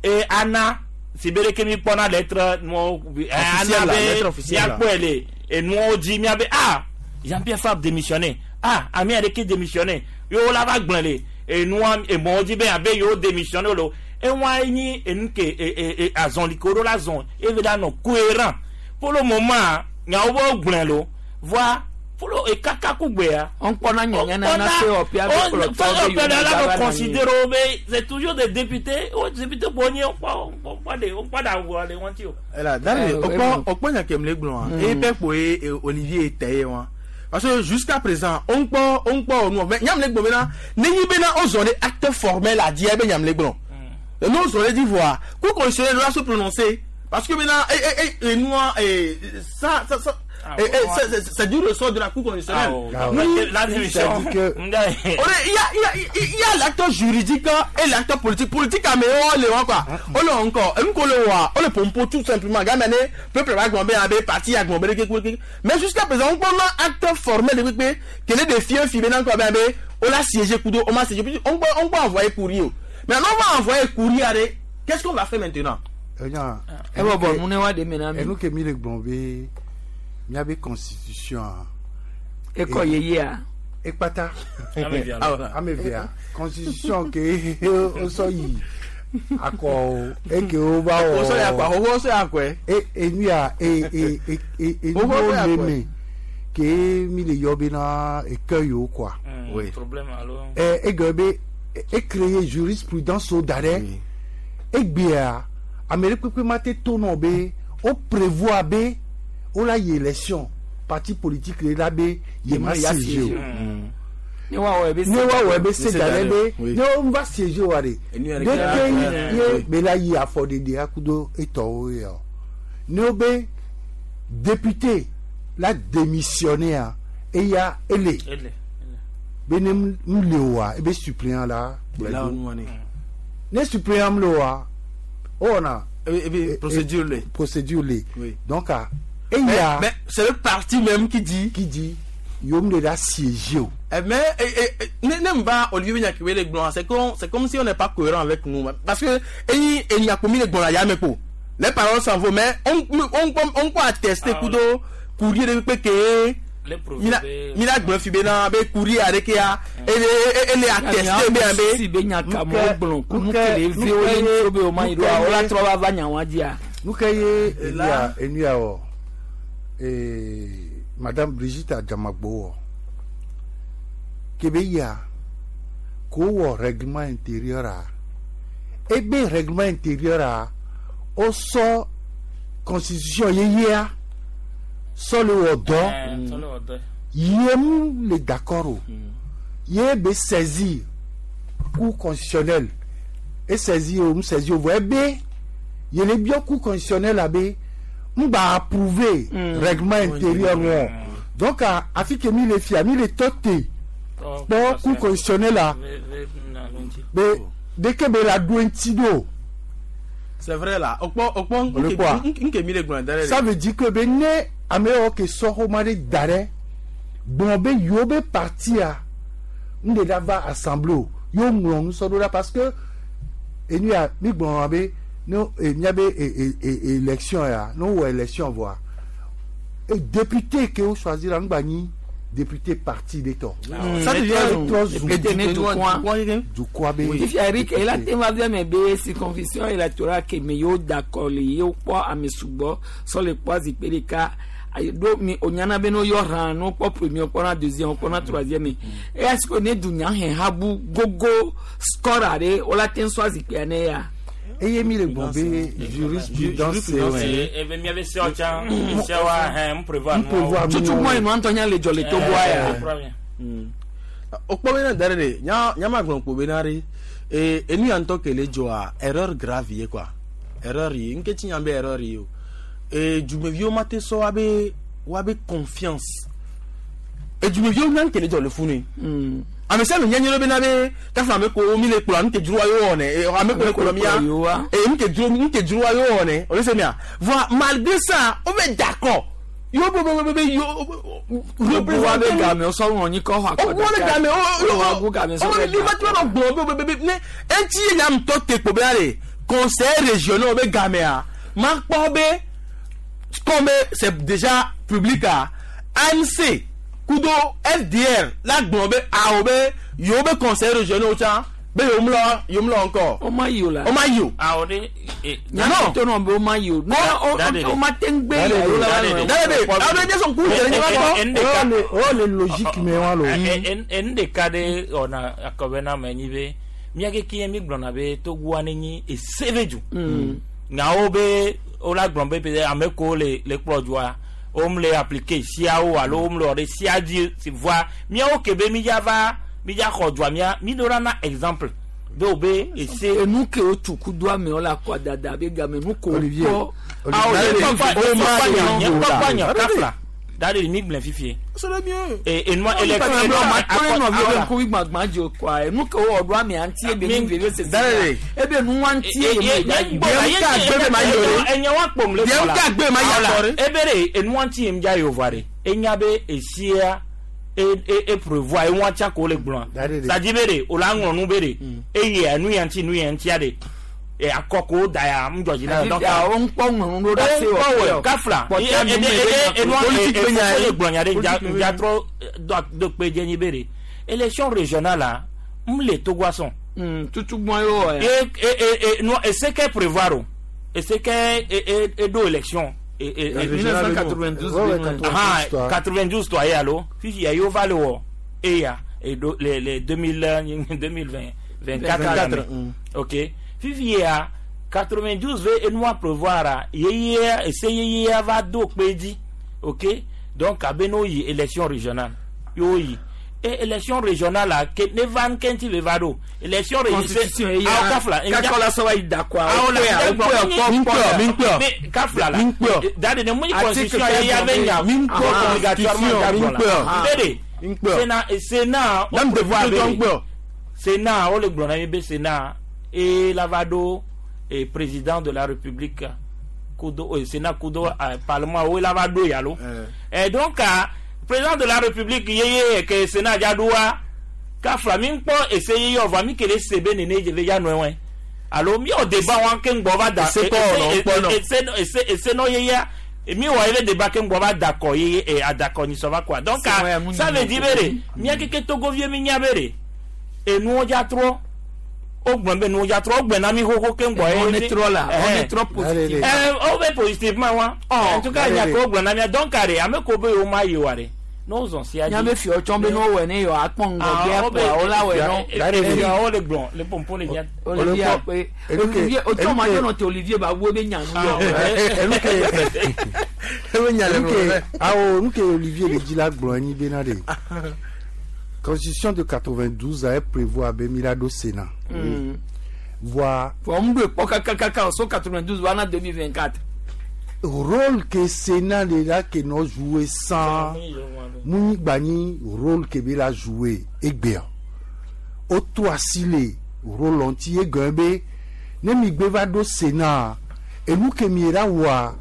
Speaker 25: e ana sibere ke mi kpɔna lettre nuwo
Speaker 22: Officielle la, lettre officielle la.
Speaker 25: miakpɔe le enuwo dzi miabe ah Jean-Pierre Fabre démissionné ah ami aɖeke démissionné yewo la va gblẽ le enua emɔwo dzi be abe yewo démissionné lo ewa nyi enu ke e e e azɔli ke wo ɖo la zɔn eve la nɔ cohérent pour le moment nyawo be wo gblẽ lo voa pour le ekaka kugbea.
Speaker 2: On kpɔna nyanya na na COPA be kplɔtɔ be yewo
Speaker 25: la
Speaker 2: va
Speaker 25: nɔ
Speaker 2: nɔ
Speaker 25: considéré wo be c'est toujours des députés wo député bo nye wokpɔ wokpɔ de wokpɔ de awua le ŋuti o.
Speaker 22: Ela dare okpɔ okpɔ nya ke mle gblɔa eye pɛ kpo ye Olivier tɛ ye wa parce que jusqu'à présent on kpɔ on kpɔ nu mais nyam le gblɔ bena ne nyi bena o zɔn ɖe acte formel a di ebe nyam le gblɔ.
Speaker 1: Nous on dit voir. Cour constitutionnelle doit se prononcer parce que maintenant et nous et ça ça ça c'est du ressort de la Cour constitutionnelle.
Speaker 25: La démission.
Speaker 1: Il y a l'acteur juridique et l'acteur politique. Politique, mais on le voit quoi. On le encore. On le voit. On le pompe tout simplement. Gamane, peuple va gomber, parti à gomber, mais jusqu'à présent, on prend un acteur formel de qui est défiant, maintenant quoi, on l'a siégé, on m'a siégé. On peut envoyer courrier. Mais on va envoyer courrier. Qu'est-ce qu'on va faire maintenant?
Speaker 14: Et nous qui sommes miabe constitution
Speaker 2: ekɔ yeyea
Speaker 14: ekpata amevia constitution ke wosɔ yi akɔ eke wo va wɔ
Speaker 1: wosɔ yi akɔ ahoho wosɔ yi akɔe
Speaker 14: e enuya e e e e enuwo le me ke mi le yɔ bena eke yiwo kɔa
Speaker 1: Oui.
Speaker 25: Problème alors.
Speaker 14: Ɛ egbe be e créer jurisprudence wo da ɖe egbea ame ɖe kpekpe ma te to nɔ be wo prévoir be wola yi élection parti politique le la be ye ma siéger o
Speaker 2: ne wa wɔ ebe
Speaker 14: ne wa wɔ ebe se da ɖe be ne wo va siéger wa de de ke ye be la yi afɔɖeɖe akudo etɔwo ya o ne wo be député la démissionné a eya ele be ne mu le oa ebe suppléant la kplɔe do ne suppléant mu le oa o wɔna.
Speaker 1: Procédure le.
Speaker 14: Procédure le. Donc a.
Speaker 1: Mais c'est le parti même qui dit.
Speaker 14: Qui dit, yom de la siéger.
Speaker 1: Mais n'aime pas Olivier Nyakiwe les blancs, c'est comme si on n'est pas cohérent avec nous. Parce que il y a commis les blancs les paroles s'en vont, mais on peut attester kudo courrier de PK. Mina gbɔn fi bena be courrier areke ya ele attester be be.
Speaker 2: Si be nyaka mo gblɔ kunu kele vi wo ye ŋutsu be o ma yi do a o la trɔ va va nya wa dzia.
Speaker 14: Nu ke ye enuya enuya wɔ madame Brigitte Adjamagbo wɔ kebe yia ko wɔ règlement intérieur a ebe règlement intérieur a o sɔ constitution yeyea sɔ le wɔ dɔ ye mu le d'accord o ye be saisir cour constitutionnelle e saisir o mu saisir o vɔ ebe yele biɔ cour constitutionnelle a be n b'a approuver règlement intérieur wɔn donc afi ke mi le fia mi le tɔ te kpɔ cour constitutionnelle a be deke be la do ŋuti do.
Speaker 1: C'est vrai là. O
Speaker 14: quoi?
Speaker 1: Nke mi le gblɔ da ɖe.
Speaker 14: Ça veut dire que be ne ame yawo ke sɔ xɔma ɖe da ɖe gblɔ be yewo be partia n de la va assemblée o yewo ŋlɔ nu sɔ ɖo ɖa parce que enu ya mi gblɔ be ne miabe élection ya ne wowɔ élection vɔa député ke wo choisir la ŋgba nyi député parti ɖe tɔ.
Speaker 1: Ça devient
Speaker 2: député ne dukɔa
Speaker 14: dukɔa be.
Speaker 2: Fifia Eric ela te va via me be circonscription électorale ke me yewo da kɔ le yewo kpɔ ame sugbɔ sɔ le kpɔ zikpui ɖeka ɖo mi onyana be no yɔ hã no kpɔ premier kpɔna deuxième kpɔna troisième eya si ko ne dunya hɛn ha bu gogo score aɖe wola te sɔ zikpuia ne ya.
Speaker 14: Eye mi le gbɔn be jurisprudence
Speaker 25: ebe miabe sewo tsã sewoa hɛn n prévoir
Speaker 14: prévoir
Speaker 2: tutu mɔ enu antɔ nya le dzɔ le togoa ya.
Speaker 1: O kpɔ bena da ɖe de nya nya ma gblɔ kpo bena ɖe ee enu ya ŋutɔ ke le dzɔa erreur grave ye quoi erreur ye nke tsi nya be erreur ye o ee dumeviwo ma te sɔ wabe wabe confiance edumeviwo nya nke le dzɔ le funu ame sia ame nyanyɛ bena be kafa ame ko mi le kplɔ nu ke dzroa yewo wɔnɛ ame ko le kplɔ mia ee nu ke dzro nu ke dzroa yewo wɔnɛ o le se mia voa malgré ça wo be d'accord yo be be be yo
Speaker 2: wa be game sɔ ŋlɔ nyi kɔ xɔ akɔ
Speaker 1: wo le game
Speaker 2: wo wo game sɔ
Speaker 1: wo
Speaker 2: be
Speaker 1: ni ma tí wọn gbɔn be be be ne etí ye nya ŋutɔ te kpo bena de conseil régional be gamea ma kpɔ be comme c'est déjà public a ANC kudo FDR la gbɔn be awo be yewo be conseil régional tsã be yewo mlɔ yewo mlɔ ŋkɔ.
Speaker 2: o ma yi o la
Speaker 1: o ma yi o.
Speaker 25: Awɔ de.
Speaker 2: Nyana to nɔ be o ma yi o. O ma te ŋgbe yi o la
Speaker 1: Dade de awo de jɛsɔn k'u yɛrɛ ɲɛ b'a kɔ.
Speaker 14: O le logique me wa lo.
Speaker 25: Enu ɖeka ɖe wɔna akɔbɛ na me nyi be miake kiye mi gblɔna be togoa ne nyi ese be du. Nyawo be wola gblɔ be peut-être ame kewo le le kplɔ dzoa wom le appliquer siawo alo wom le wɔ ɖe sia dzi si voa miawo ke be mi dza va mi dza xɔ dzoa mia mi ɖo la na exemple. Be o be ese.
Speaker 2: Enu ke o tu kudu amewo la kɔ dada be game nu ko
Speaker 25: Olivier.
Speaker 2: kpɔ.
Speaker 25: Nye kpɔkpɔ nya kafla. Dade mi gblẽ fifie.
Speaker 1: C'est le mieux.
Speaker 25: Et et moi élection.
Speaker 2: Akɔnɔ nɔviwo be ŋkuvi gbagbã dzi o kɔa enu ke wowɔ ɖo amea ŋuti ebe nu veve sese. Ebe nu wa ŋuti ye me da yi.
Speaker 25: Enye wa kpom le
Speaker 1: Bien ka gbe ma ya kɔre.
Speaker 25: Ebe de enua ŋuti yem dza yevoa de. Enya be esia e e e prévoir enua tsa ko le gblɔa. Sadi be de o la ŋlɔ nu be de. Eye enu ya ŋuti nu ya ŋutia de. E akɔ ko da ya ŋdzɔdzi na
Speaker 2: donc. Awo ŋkpɔ ŋlɔ nu ɖo ɖe se
Speaker 25: wɔ. Kafla. E enua e e le gblɔ nya de dza dza trɔ do kpe dze nyi be de. Élection régionale la m le Togo sɔn.
Speaker 2: Tutugbɔn ye wɔ
Speaker 25: ya. E e e non e se kɛ prévoir o. E se kɛ e e e do élection. E e e
Speaker 2: 1992.
Speaker 25: Ah 92 tɔ ye alo fifi ya yewo va le wɔ eya e do le le 2000 2020 24 ok fifi ya 92 ve enua prévoir a yeye ese yeye va do kpe dzi ok donc abe n'o yi élection régionale y'o yi e élection régionale la ke ne va nkɛntɛ bɛ va do élection
Speaker 2: constitution ye
Speaker 25: aw ka fila
Speaker 2: kakɔla sɔrɔ yi da kɔ
Speaker 25: aw la
Speaker 1: minkpɔ
Speaker 25: ka fila la dade ne mun constitution ye ya bɛ ɲa
Speaker 1: minkpɔ
Speaker 25: obligatoirement
Speaker 1: minkpɔ
Speaker 25: bɛ de sénat sénat
Speaker 1: o
Speaker 25: prévoir bɛ de sénat o le gblɔ na mi bɛ sénat e la va do e président de la république kudo sénat kudo parlement o la va do yalo et donc président de la république yeye ke sénat dza kafla mi ŋkpɔ ese yeye ɔvɔ mi kele se be nene dze ve dza nɔe wɛ alo mi wɔ débat wa ke ŋgbɔ va da
Speaker 1: ese
Speaker 25: ese ese ese nɔ yeyea mi wɔ ebe débat ke ŋgbɔ va da kɔ yeye e adakɔ nyisɔ va kɔa donc ça veut dire be de mía keke togovie mi nya be de enuwo dza trɔ o gblɔ be nuwo dza trɔ o gblɔ na mi xoxo ke ŋgbɔ
Speaker 2: ye. On est trop là on est trop positif.
Speaker 25: Ɛ o bɛ positivement wa en tout cas nya ko gblɔ na mia donc are ame ko be yewo ma yi wa de n'o zɔn sia
Speaker 2: dzi. Nya be fiɔ tsɔn be n'o wɛ ne yɔ akpɔ ŋgɔgbea kpoa o la wɛ
Speaker 25: nɔ. O le gblɔ le pɔnpɔn le nya.
Speaker 2: Olivier akpe Olivier o tsɔn ma yɔnɔ te Olivier ba wo be nya nu yɔ.
Speaker 14: Enuke awo nuke Olivier le dzi la gblɔ anyi bena de constitution de 92 a prévoir be mi la do Sénat. Voa.
Speaker 2: Fɔ n do kpɔ kakakaka so 92 wa na 2024.
Speaker 14: Rôle que Sénat le la ke nɔ jouer sans mu gba nyi rôle ke be la jouer egbea o to asi le rôle ŋuti egɔme be ne mi gbe va ɖo Sénat enu ke mi la wɔa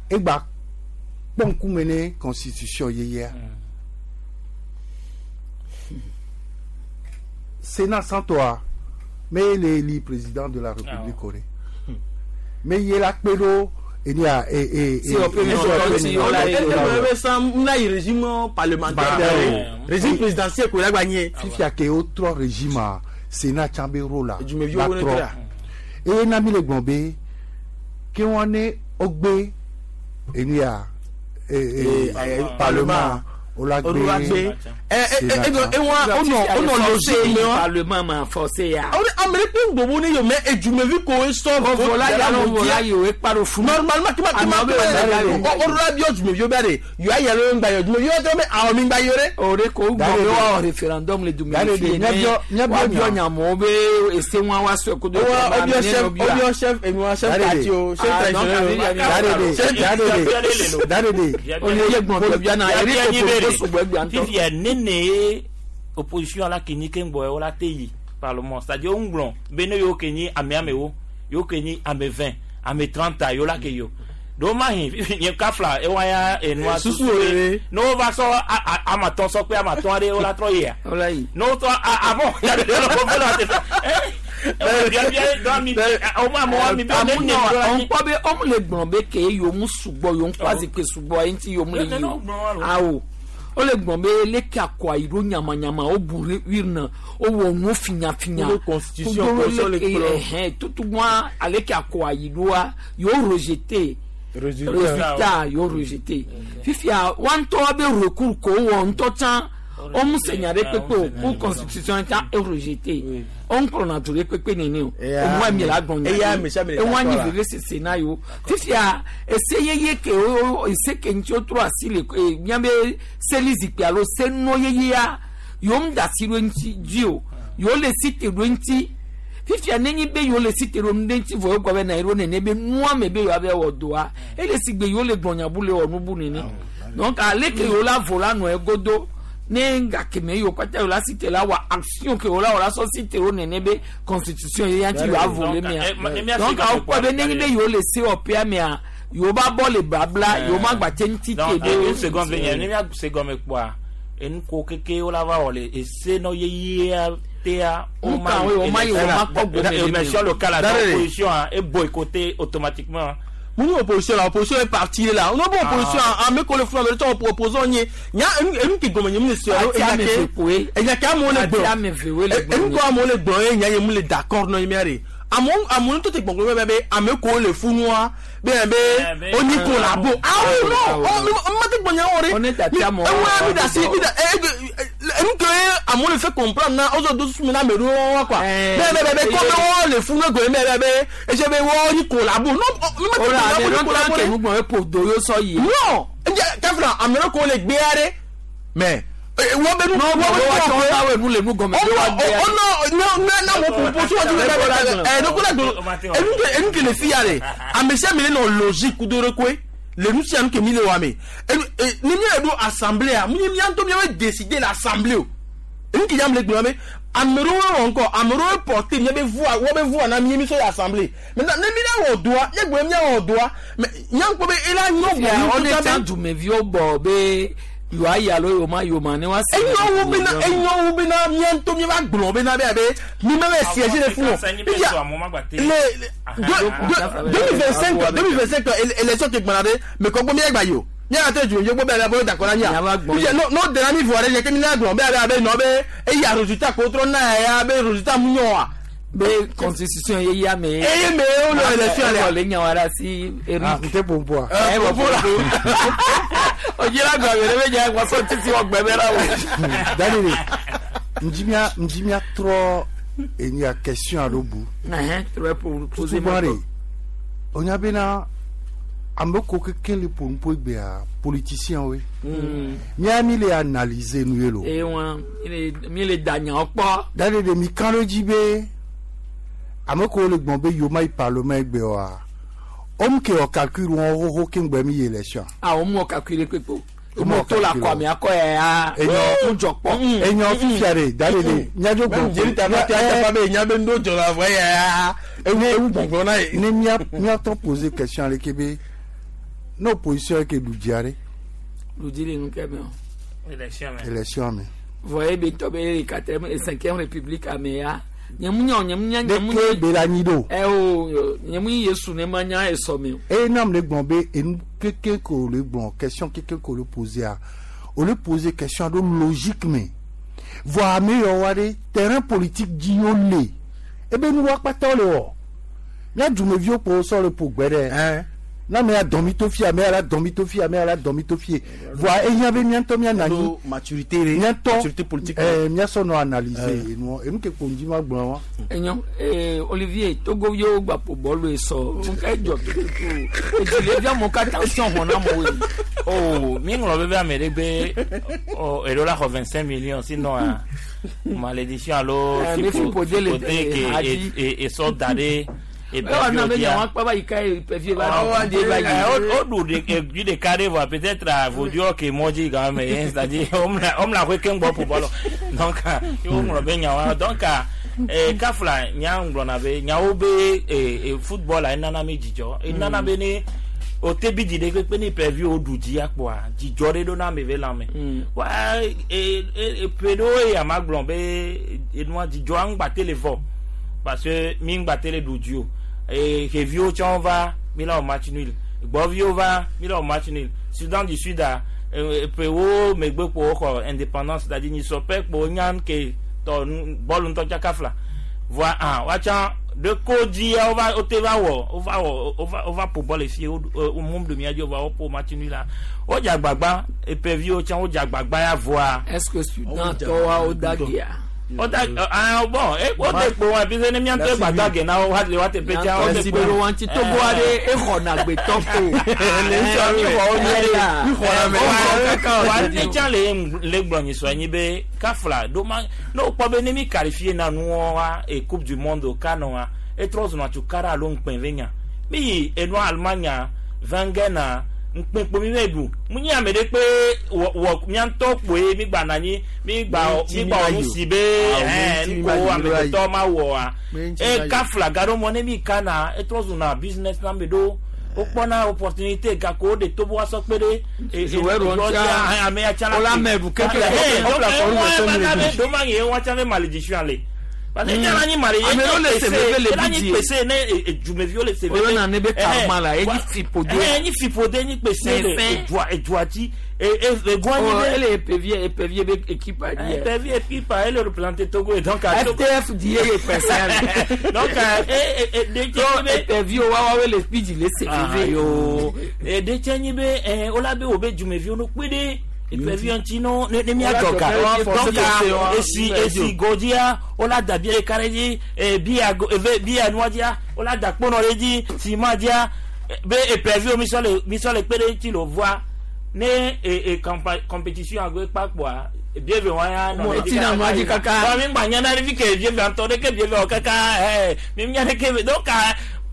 Speaker 14: egba kpɔ ŋkume ne constitution yeyea Sénat sans toi mais le élu président de la République o de mais ye la kpe ɖo enia e e
Speaker 1: e e régime parlementaire régime présidentiel ko la gba nye
Speaker 14: fifia ke o trɔ régime a Sénat tsã be rôle la la trɔ eye na mi le gblɔ be ke wɔn ne o gbe enia e e parlement o la gbe
Speaker 1: Sénat o nɔ logique
Speaker 2: me parlement ma forcé ya.
Speaker 1: Ame ɖe kpe gbogbo ne yɔ mɛ edumevi ko sɔ
Speaker 2: vola ya lo vola yi o ekpa funu.
Speaker 1: Normalement kima kima kima o la bi dumeviwo bɛ de yɔ ayɛ lo ŋgba yɔ dumeviwo tɔ mɛ awɔ mi ŋgba yɔ dɛ.
Speaker 2: O de ko gbɔ be wa wɔ référendum le dumevi fi ne wa biɔ nyamewo be ese ŋua wa sɔe kodo.
Speaker 1: O biɔ chef o biɔ chef enuwa chef parti o chef
Speaker 14: traditionnel o. Dadede.
Speaker 2: Olivier gbɔn bia na eri ko ko sugbɔ egbea ŋutɔ.
Speaker 25: Fifia nene opposition la ke nyi ke ŋgbɔ wo la te yi parlement c'est à dire wo ŋgblɔ be ne yewo ke nyi ame amewo yewo ke nyi ame 20 ame 30 yewo la ke yi o ɖewo ma hin nye kafla ewa ya enua
Speaker 1: susu wo
Speaker 25: ne wo va sɔ amatɔn sɔ kpe amatɔn aɖe wo la trɔ yia ne wo trɔ avɔ
Speaker 2: ŋkpɔ be ɔmu le gblɔ be ke yewo sugbɔ yewo ŋkɔ azikpe sugbɔ ye ŋuti yewo le yi o awo o le gblɔ be leke akɔa yi ɖo nyamanyama o bu wirna o wɔ nu finyafinya
Speaker 1: constitution
Speaker 2: leke tutugbɔn aleke akɔa yi ɖoa yewo rejeté résultat yewo rejeté fifia wa ŋutɔ be recours ko wɔ ŋutɔ tsã o mu se nya ɖe kpekpe o cour constitution tsã e rejeté o ŋu kplɔna du ɖe kpekpe nene o o mu emi la gbɔn nya eŋu anyi veve sese na yewo fifia ese yeye ke o ese ke ŋuti o trɔ asi le e miabe seli zikpui alo senɔ yeyea yewo mu da asi ɖo ŋuti dzi o yewo le si te ɖo ŋuti Fifia nenye be yewo le si te ɖo nu ɖe ŋuti vɔ yewo gblɔ be na yeɖo nene be nua me be yewoa be wɔ doa ele si gbe yewo le gblɔ nya bu le wɔ nu bu nene. Donc ale ke yewo la vo la nɔ egodo ne gake me yewo kpata yewo la si te la wɔ action ke yewo la wɔ la sɔ si te ɖo nene be constitution ye ya ŋuti yewoa vo le mea. Donc awo kpɔ be nenye be yewo le sewɔƒea mea yewo ba bɔ le blabla yewo ma gba te ŋuti te
Speaker 25: Donc,
Speaker 2: ɖo.
Speaker 25: une seconde venye ne mía se gɔme kpɔa enuko keke wo la va wɔ le ese nɔ yeyea tea
Speaker 2: Nuka wo, wo ma yi, wo ma kpɔ gome le mi o.
Speaker 25: élection locale la
Speaker 1: Daré.
Speaker 25: opposition a e boycotté automatiquement.
Speaker 1: Mun opposition la opposition est parti là. On a bon opposition ame ko le fún amẹ tó opposant nye. Nya enu enu ke gɔmɛ nye mu le se ɔrɔ
Speaker 2: Ati ame ve koe.
Speaker 1: Enya ke amewo le
Speaker 2: Ati
Speaker 1: gblɔ.
Speaker 2: ame ve woe le gblɔ
Speaker 1: Enu
Speaker 2: nye.
Speaker 1: ko amewo le gblɔ ye nya ye mu le d'accord nɔ ye mia de. Amewo amewo ŋutɔ te gbɔgblɔ bɛ bɛ ame ko le funua bɛ bɛ oni ko la bo. Awo no ɔ mi ma te gbɔ nya wɔ de.
Speaker 2: On est ati amewo.
Speaker 1: Ewu ya mi da si mi da enu ke amewo le fɛ comprendre na ɔzɔ do susu mi na ame ɖewo wa quoi. Bɛ bɛ bɛ kɔ bɛ wɔ le funu gɔmɛ bɛ bɛ bɛ ese bɛ wɔ ni ko la bo. Non mi ma te
Speaker 2: Ora
Speaker 1: gbɔ
Speaker 2: ame
Speaker 1: nya
Speaker 2: ɖewo
Speaker 1: bo ni ko la bo
Speaker 2: ke
Speaker 1: de.
Speaker 2: nu gblɔ eƒo do yewo sɔ yi.
Speaker 1: Non kafra ame ɖe ko le gbea ɖe mais wọ́n bẹ nu
Speaker 2: Non,
Speaker 1: wọ́n bẹ
Speaker 2: wọ́n
Speaker 1: nu
Speaker 2: wá
Speaker 1: wọ́n
Speaker 2: wá wẹ̀ nu le nu gɔmɛ be wa gbea.
Speaker 1: ɔ nɔ ne na mo popo so wɔn ti bɛ bɛ ɛ ne ko la do enu ke enu ke le fi ya de ame sia ame le nɔ logique kudo ɖe koe le nu sia nu ke mi le wa me enu e ni mi yɛrɛ do assemblée a mi mi ŋutɔ mi bɛ décider l'assemblée o enu ke yam le gblɔ be ame ɖewo wɔ ŋkɔ ame ɖewo porter mia be voix wɔ be voix na mi mi sɔ yi assemblée maintenant ne mi la wɔ doa ye gblɔ mi wɔ doa mais nya ŋkpɔ be ela nyɔ
Speaker 2: Fifia
Speaker 1: bɔ
Speaker 2: on est en dumeviwo bɔ be yewoa yi alo yewo ma yi o ma ne wa se.
Speaker 1: enyo wu bena enyo wu bena mía ŋutɔ mía va gblɔ bena be abe mi me be siège le funu le 2025 2025 élection ke gbɔna ɖe me kɔ gbɔ mía gba yi o mía ate dzu yogbo be abe d'accord na mía fifia no no dena mi vɔ ɖe nye ke mi na gblɔ be abe abe nɔ be eya résultat ko trɔ na ya be résultat mu nyɔ wa.
Speaker 2: Be constitution ye ya me.
Speaker 1: Eye me wo le élection
Speaker 2: le.
Speaker 1: le.
Speaker 2: Le nya wa ɖe asi Eric.
Speaker 14: Ah, n tɛ pompo a.
Speaker 2: Ɛ wɔ pompo. O jira gba wɛrɛ bɛ nya wasɔ titi wɔ gbɛbɛ la o.
Speaker 14: Daniel, ŋdzi mía trɔ enya question alo bu.
Speaker 2: Ɛhɛn trɔ pour poser
Speaker 14: Tutu
Speaker 2: ma
Speaker 14: gbã ɖe, wonya bena ame ko keke le ƒo nuƒo egbea politicien woe. Mía mi le analyser nu ye lo.
Speaker 2: Eye wa mi le da nyawo kpɔ.
Speaker 14: Daniel ɖe mi kan ɖe dzi be ame ko le gbɔn be yewo ma yi parlement egbe oa, womu ke wɔ calcul wɔn xoxo ke ŋgbɛ mi yi élection.
Speaker 2: A o mu kakui le kpekpe o.
Speaker 14: O mu
Speaker 2: O to la
Speaker 14: kakui
Speaker 2: kɔ ame akɔ yɛ ya.
Speaker 14: Enyo
Speaker 2: O jɔ kpɔ.
Speaker 14: Enyo fifia ɖe Daniel ɖe míadzo gbɔn.
Speaker 1: Jeli ta ma te ata be nya be ŋdo dzɔ la vɔ ya ewu ewu gbɔngbɔn na ye.
Speaker 14: Ne mía míatɔ poser question ale ke be ne opposition ye ke ɖu dzia ɖe
Speaker 2: Ludi le nu kɛ mɛ o.
Speaker 25: Élection mɛ.
Speaker 14: élection me.
Speaker 2: Voyez be tɔ be le quatrième et cinquième république ame ya. Nyemu nya o nyemu nya nyemu
Speaker 14: Ɖeke be la nyi ɖo.
Speaker 2: Ɛ o nyemu Yesu ne ma nya esɔ mi o.
Speaker 14: Eye nam le gblɔ be enu keke ko le gblɔ question keke ko le poser a o le poser question ɖo logique me vɔ ame yawo wa ɖe terrain politique dzi wo le ebe nu wa kpata wo le wɔ mía dumeviwo kpo sɔ le ƒo gbe ɖe na ame ya dɔn mi to fie ame ya la dɔn mi to fie ame ya la dɔn mi to fie vɔa ehiã be mía ŋutɔ mía nɔ anyi
Speaker 1: maturité ɖe
Speaker 14: mía ŋutɔ
Speaker 1: maturité politique.
Speaker 14: ɛɛ mía sɔ nɔ analyser enua enu ke kpo ŋdzi ma gblɔ wa.
Speaker 2: Enyo ee Olivier Togo yewo gba ƒo bɔlu esɔ nuka edzɔ tututu edzile vi amewo katã sɔn hɔn na amewo yi.
Speaker 25: Oh, mi ŋlɔ be be ame ɖe be oh, eɖo la xɔ 25 millions sinon ah, malédiction alo
Speaker 2: Eh, mi fiƒode le-
Speaker 25: ke
Speaker 2: hadi.
Speaker 25: esɔ da ɖe
Speaker 2: Ewɔ na be nyawo akpa va yi ka ye pɛfie va ɖu va yi.
Speaker 25: o ɖu ɖe ɖeka ɖe vɔa peut-être voduɔ ke mɔ dzi game c'est à dire omla hoe keŋ gbɔ ƒo bɔlɔ donc wo ŋlɔ be nyawoa donc kafla nya ŋlɔna be nyawo be football la enana mi dzidzɔ enana be ne o te bi dzi ɖe kpekpe ne pɛvi o ɖu dzi akpɔa dzidzɔ ɖe ɖo na ame ve lãme wa ƒe ɖewo ya ma gblɔ be enua dzidzɔa ŋgba te le vɔ parce que mi ŋgba te le ɖu dzi o xeviwo tsã va mi la wɔ match nul gbɔviwo va mi la wɔ match nul Soudan du Sud a ƒewo megbe kpo woxɔ indépendance c'est à dire nyisɔpɛ kpo nya ke tɔ bɔlu ŋutɔ tsaka fila voa ah woatsã ɖeko dzia wova wote va wɔ wova wɔ wova wova ƒo bɔl esi wo wo mum ɖu mía dzi wova woƒo match nul la wodze agbagba epeviwo tsã wodze agbagba ya voa.
Speaker 2: Est-ce que Sudan tɔwa wo da gia?
Speaker 25: O ta ah bon e o te kpo wa bi se ne mi ante gbata ge na wa le wa te pe cha o te
Speaker 2: Merci belo wanti Togo ade e xɔna gbetɔ ko.
Speaker 25: Wa ne tsa le le gblɔ nyi sɔ anyi be kafla do ma ne wokpɔ be ne mi qualifié na nuɔ wa e coupe du monde o ka nɔ wa etrɔ zɔna tso kara alo ŋkpɛ ve nya mi yi enua Allemagne Wenger na ŋkpɛ kpo mi ve ɖu mu nyi ame ɖe kpe wɔ wɔ mía ŋutɔ kpoe mi gba na anyi mi gba mi gba wɔ nu si be ɛɛ nuko amegbetɔ ma wɔ wa e kafla gaɖo mɔ ne mi ka na etrɔ zɔna business na me ɖo wokpɔna opportunité gako wo de tobo wa sɔ kpe ɖe
Speaker 2: Joueur wo ŋutia,
Speaker 25: ame ya tsã la
Speaker 2: wola ame ɖu keke
Speaker 25: donc do ma ye wa tsã be malédiction ale parce que tsã la nyi malé
Speaker 2: Ame ɖewo le seve le
Speaker 25: la nyi
Speaker 2: bidie.
Speaker 25: pese ne dzumeviwo le seve
Speaker 2: Woyɔna ne be karma la, enyi fipode.
Speaker 25: enyi fipode enyi pese le
Speaker 2: Fɛn.
Speaker 25: edua edua dzi egoa nyi
Speaker 2: Oh,
Speaker 25: be
Speaker 2: ele epevie epevie be équipe a di.
Speaker 25: Epevi équipe ele représente Togo et donc à Togo-
Speaker 2: FTF di ye pese.
Speaker 25: donc de
Speaker 2: Donc epevie wa wa we le speed le
Speaker 25: Ah,
Speaker 2: seve.
Speaker 25: yo ɖe nyi be wola be wo be dzumeviwo no kpe ɖe epevi ŋuti no ne ne mia
Speaker 2: Wola
Speaker 25: dzɔ ga
Speaker 2: dzɔ ga,
Speaker 25: donc
Speaker 2: wola
Speaker 25: esi
Speaker 2: forcer
Speaker 25: esi godzia wola da bia ɖeka ɖe dzi bia go eve bia nua dzia wola da kponɔ ɖe dzi sima dzia be epeviwo mi sɔ le mi sɔ le kpe ɖe ŋuti le voa ne e e compétition agbe kpakpoa bieve wa ya nɔ
Speaker 2: Mo
Speaker 25: ɖe dzi
Speaker 2: ti na nua dzi kaka.
Speaker 25: Wa mi gba nya na ɖe fi ke bieve ŋutɔ ɖe ke bieve wɔ kaka ɛ mi nya ɖe ke donc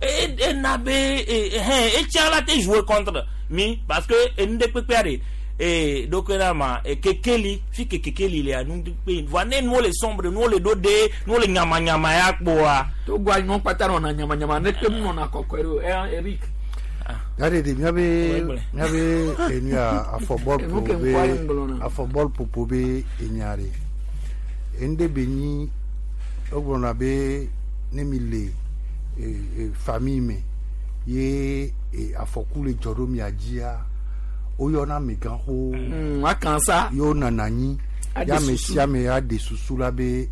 Speaker 25: e ena be e hɛn etsia la te jouer contre mi parce que enu ɖe kpekpea ɖe e ɖokui na ma e kekeli fi ke kekeli lea nu ɖe kpe voa ne nuwo le sombre nuwo le ɖo ɖe nuwo le nyamanyama ya kpoa.
Speaker 2: Togo anyɔ kpata nɔna nyamanyama ne kpe mu nɔna kɔkɔe ɖo. Eh, Eric.
Speaker 14: Yare de miabe
Speaker 2: Ouais,
Speaker 14: miabe enu ya afɔbɔl
Speaker 2: Enu ke
Speaker 14: ƒoƒo be
Speaker 2: ŋkɔa ye ŋgblɔna.
Speaker 14: afɔbɔl ƒoƒo be enya ɖe enu ɖe be nyi wogblɔna be ne mi le e, e, famille me ye e, afɔku le dzɔ ɖo mia dzia woyɔna amegãxowo
Speaker 2: akan sa
Speaker 14: ye wonɔna anyi
Speaker 2: Aɖe
Speaker 14: ye ame
Speaker 2: susu.
Speaker 14: sia ame aɖe susu la be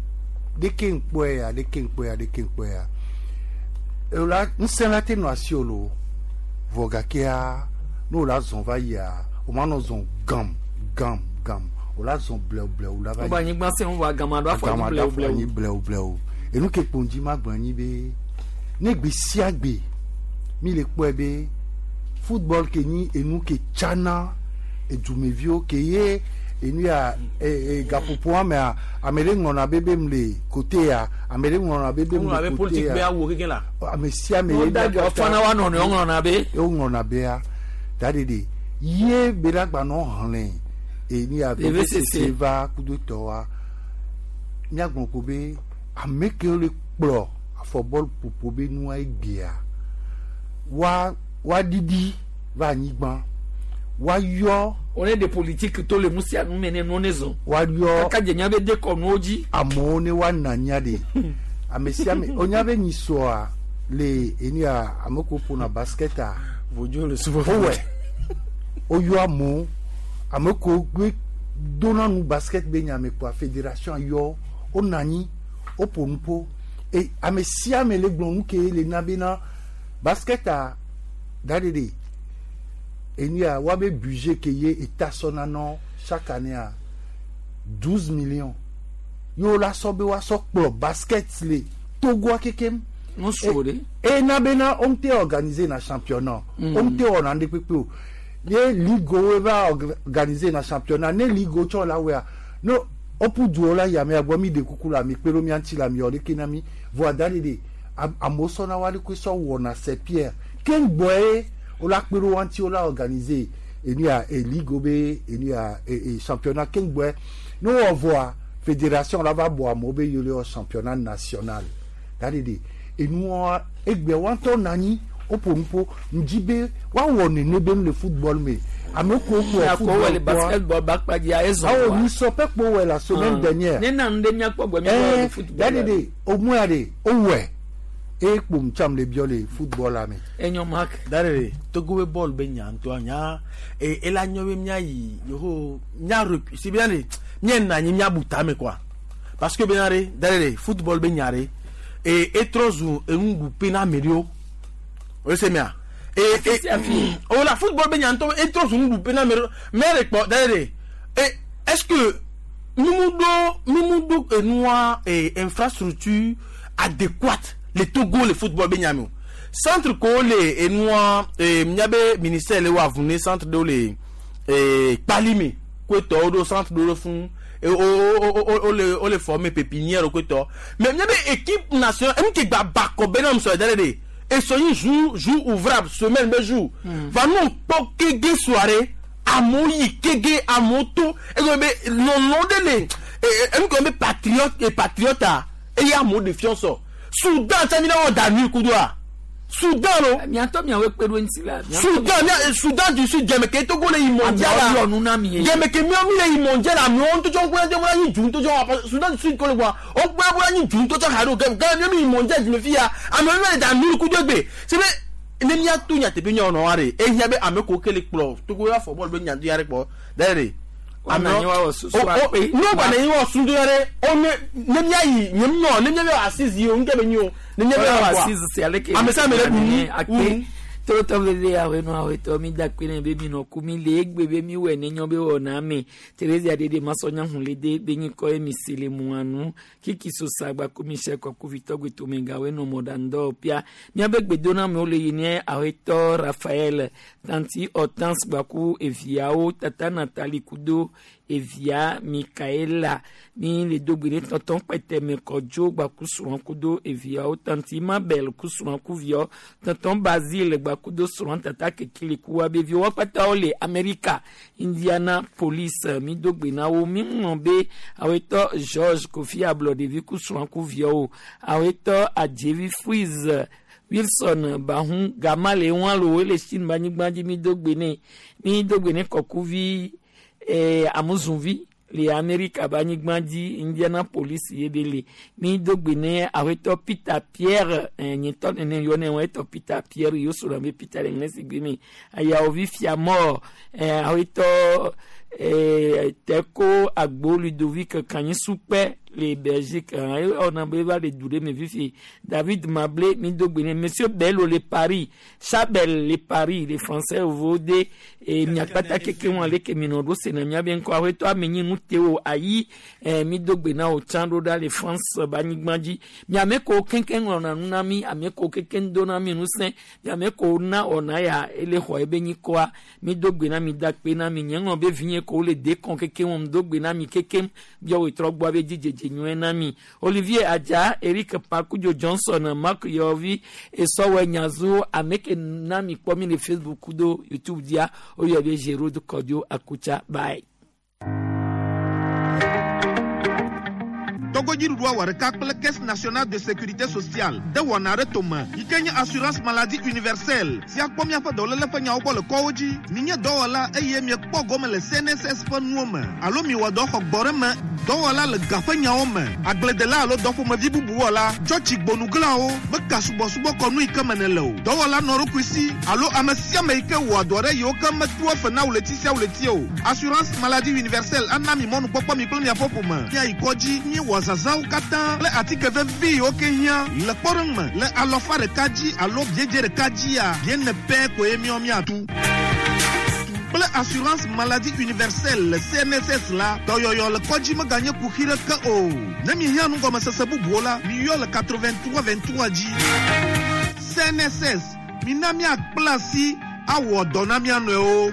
Speaker 14: ɖeke ŋkpɔe ya ɖeke ŋkpɔe ya ɖeke ŋkpɔe ya la ŋusẽ la te nɔ asi o lo vɔ gakea ne wòle azɔn va yia o ma nɔ zɔn gam gam gam wòle azɔn blɛwu blɛwu la va
Speaker 2: Wobe anyigba sẽ ŋu vɔ agama ɖo afɔ
Speaker 14: Agama
Speaker 2: anyi
Speaker 14: ɖo afɔ
Speaker 2: blɛwu
Speaker 14: anyi
Speaker 2: blɛwu.
Speaker 14: blɛwu blɛwu enu ke kpo ŋdzi ma gblɔ anyi be ne gbe sia gbe mi le kpɔe be football ke nyi enu ke tsana edumeviwo ke ye enu ya e, e, gaƒoƒo amea ame ɖe ŋlɔna be be m le kote ya ame ɖe ŋlɔna be be m
Speaker 1: Woŋlɔna
Speaker 14: le
Speaker 1: be
Speaker 14: kote
Speaker 1: politique be
Speaker 14: ya
Speaker 1: awu keke la.
Speaker 14: ame sia ame
Speaker 2: Wo
Speaker 14: ye
Speaker 2: da
Speaker 14: mia
Speaker 2: gbe fana wa nɔnɔewo ŋlɔna be.
Speaker 14: ye woŋlɔna bea da ɖeɖe ye be la gbanɔ hlẽ enu ya
Speaker 2: VVCC
Speaker 14: va kudo tɔwa míagblɔ ko be ame kewo le kplɔ afɔbɔl ƒoƒo be nua egbea wa woaɖiɖi va anyigba woayɔ
Speaker 2: One de politique to le nu sia nu me ne nu ne zɔn.
Speaker 14: woayɔ
Speaker 2: Kaka dze nya be de kɔnuwo dzi.
Speaker 14: amewo ne woanɔ anyia ɖe ame sia ame wonya be nyisɔa le enu ya ame kewo ƒona basketa
Speaker 1: Vodzo le subɔ.
Speaker 14: wowɔe woyɔ amewo ame kewo gbe dona nu basket be nyame kpoa fédération yɔ wonɔ anyi woƒo nu ƒo e ame sia ame le gblɔ nu ke le na bena basketa da ɖeɖe enu ya woabe budget ke ye eta sɔna nɔ chaque année a 12 millions ye wola sɔ be woasɔ kplɔ basket le togoa kekem
Speaker 2: Nu su o de.
Speaker 14: ena bena wo ŋute organiser na championnat wo ŋute wɔna nu ɖe kpekpe o ne ligue wo va organiser na championnat ne ligue wo tsɔ la wɔa ne woƒu duwo la yi amea gbɔ mi ɖe kuku la mi kpe ɖo mia ŋuti la mi wɔ ɖeke na mi vɔa da ɖe ɖe amewo sɔna wa ɖokui sɔ wɔna c'est pierre keŋgbɔe wola kpe ɖo wa ŋuti wola organiser enu ya e ligue wo be enu ya e e championnat keŋgbɔe ne wowɔ vɔa fédération la va bɔ amewo be yewo le wɔ championnat national da ɖe ɖe enua egbe wa ŋutɔ nɔ anyi woƒo nu ƒo ŋdzi be woawɔ nene be nu le football me ame kewo kplɔ
Speaker 2: Akɔ wɔ le
Speaker 14: football kpɔa
Speaker 2: basketball ba kpa dzi ezɔn.
Speaker 14: awo nyisɔ pɛ kpo wɔ la semaine dernière
Speaker 2: Ne na nu ɖe miakpɔ gbɔ miakpɔ le
Speaker 14: ɛɛ
Speaker 2: football.
Speaker 14: da ɖe ɖe omua ɖe wowɔe eye kpom tsam le biɔ le football la me.
Speaker 2: Enyo Mark.
Speaker 1: Darere Togo be bɔl be nya ŋutɔa nya e ela nyɔ be míayi yeho mía rec si bena ɖe míena anyi míabu tame quoi parce que bena ɖe darere football be nya ɖe e etrɔ zu enuɖuƒe na ame ɖewo o se mea e e o la football be nya ŋutɔ etrɔ zu nuɖuƒe na ame ɖewo mɛ ɖe kpɔ darere e est ce que Mimu ɖo mimu ɖo enua infrastructure adéquate le Togo le football be nyame o. Centre ko le enua miabe ministère le wa avune centre ɖewo le Kpalime koetɔwo ɖo centre ɖewo ɖo fún o o o o le o le former pépinière koetɔ. Mais miabe équipe nationale enu ke gba bakɔ bena musɔ ɛdɛ de esɔ yi jour jour ouvrable, semaine be jour va nu kpɔ kege soirée, amewo yi kege, amewo to egbe be lɔlɔ ɖe le enu ke be patriote patriote a eye amewo ɖe fiɔ sɔ Soudan tsa mi na wɔ da nu kudo a Soudan lo.
Speaker 2: Miatɔ miawo kpe ɖo ŋuti la.
Speaker 1: Soudan mia Soudan du Sud jɛmɛkɛ Togo le yi mondial la.
Speaker 2: Amewo yɔ nu na mi ye.
Speaker 1: Jɛmɛkɛ miawo mi le yi mondial la, amewo ŋutɔ tsɔ ŋkuya de bɔra nyi du ŋutɔ tsɔ Soudan du Sud ko le gbɔ o gbɛ bɔra nyi du ŋutɔ tsɔ ha ɖo gɛ gɛ mi yi mondial dzume fi ya, amewo mi le da nu kudo egbe sebe ne miato nyateƒe nyɔ nɔ wa de ehia be ame ko kele kplɔ Togo ya fɔ bɔl be nyadu ya ɖe kpɔ da de.
Speaker 2: Wana anyi wa wɔ susu akpe.
Speaker 1: Ne wo gba ne wɔ sundu ya ɖe o ne ne miayi nye nyɔ ne miabe assise yi o nke be nyi o ne miabe
Speaker 2: Wala
Speaker 1: wɔ
Speaker 2: assise si ale ke.
Speaker 1: Ame sia ame le ɖu
Speaker 2: Akpe. Tolotɔ veve awenu awetɔ mi da kpe ne be mi nɔ ku mi le egbe be mi wɔ ne nyɔ be wɔ na me. Terezia dede masɔnya hun le de be nyi kɔ ye mi si le mua nu. Kiki sosa gba ko mi sɛ kɔ ku vitɔ gbe tome gawe nɔ mɔɖaŋdɔ pia. Miabe gbedoname le yi ne awetɔ Raphaël, tanti Hortense gba ku eviawo, tata Nathalie kudo evia Michaela. Mi le do gbe ne tɔntɔn kpɛtɛmɛ Kɔdzo gba ku srɔ̃ kudo eviawo, tanti Mabel ku srɔ̃ ku viawo, tɔntɔn Basile gba kudo srɔ̃, tata Kekele ku wa be viwo kpata wo le Amerika, Indianapolis. Mi do gbe na wo. Mi ŋlɔ be awetɔ George Kofi Ablɔɖevi ku srɔ̃ ku viawo, awetɔ Adzevi Freeze Wilson Bahun Gama le wọn lo le Chine banyigba dzi. Mi do gbe ne, mi do gbe ne Kɔkuvi Amuzunvi le Amerika banyigba dzi, Indianapolis ye be le. Mi do gbe ne awetɔ Peter Pierre nyetɔ nene yɔ ne awetɔ Peter Pierre yio sɔrɔ be Peter le ŋlɛ si gbe mi ayawovi Fiamɔ awetɔ Teko Agbo Ludovic Kanyisukpɛ le Belgique ɔna be va le du ɖe me fifi. David Mablé, mi do gbe ne Monsieur Bello le Paris, Chabel le Paris, le français vode e miakpata keke wọn ale ke mi nɔ ɖo sena miabe ŋkɔ awetɔ amenyi nu te o ayi mi do gbe na o tsã ɖo ɖa le France banyigba dzi. Miame ko keŋkeŋ ŋlɔna nu na mi, ame ko keŋkeŋ do na mi ŋusẽ, miame ko na ɔna ya ele xɔ ebe nyikɔa, mi do gbe na mi, da kpe na mi. Nye ŋlɔ be vinye ko le dekɔn kekeŋ wɔm do gbe na mi kekeŋ biawo trɔ gbɔ abe dzidzedze nyuie na mi. Olivier Adja, Eric Pakudzo Johnson, Mark Yovi Esɔwɔ Nyazu, ame ke na mi kpɔ mi le Facebook do YouTube dzia oyɔ be Gerard Kɔdio Akutsa. Bye.
Speaker 3: Togodziɖuɖua wɔ ɖeka kple Caisse nationale de sécurité sociale de wɔna ɖe tome yi ke nye assurance maladie universelle si akpɔ miaƒe dɔléle ƒe nyawo gbɔ le kɔwo dzi. Minye dɔwɔla eye miekpɔ gome le CNSS ƒe nuwo me alo miwɔ dɔ xɔ gbɔ ɖe me dɔwɔla le ga ƒe nyawo me, agbledela alo dɔƒomevi bubu wɔla, tsɔtsi gbonuglawo meka subɔsubɔ kɔnu yi ke me ne le o, dɔwɔla nɔ ɖokui si alo ame sia ame yi ke wɔa dɔ ɖe yiwo ke metua fe na ɣleti sia ɣleti o. Assurance maladie universelle ana mi mɔnukpɔkpɔ mi kple miaƒe ƒome miayi kɔdzi miewɔ zazãwo katã kple atike vevi yiwo ke hiã. Le kpɔɖeŋu me, le alɔfa ɖeka dzi alo biedze ɖeka dzia, biene pɛ koe miɔ miatu. Kple assurance maladie universelle le CNSS la, dɔyɔyɔ le kɔdzi meganye kuxi ɖeke o. Ne mihiã nugɔmesese bubuwo la, miyɔ le 83 23 dzi. CNSS, mina miakpla asi awɔ dɔ na mia nɔewo.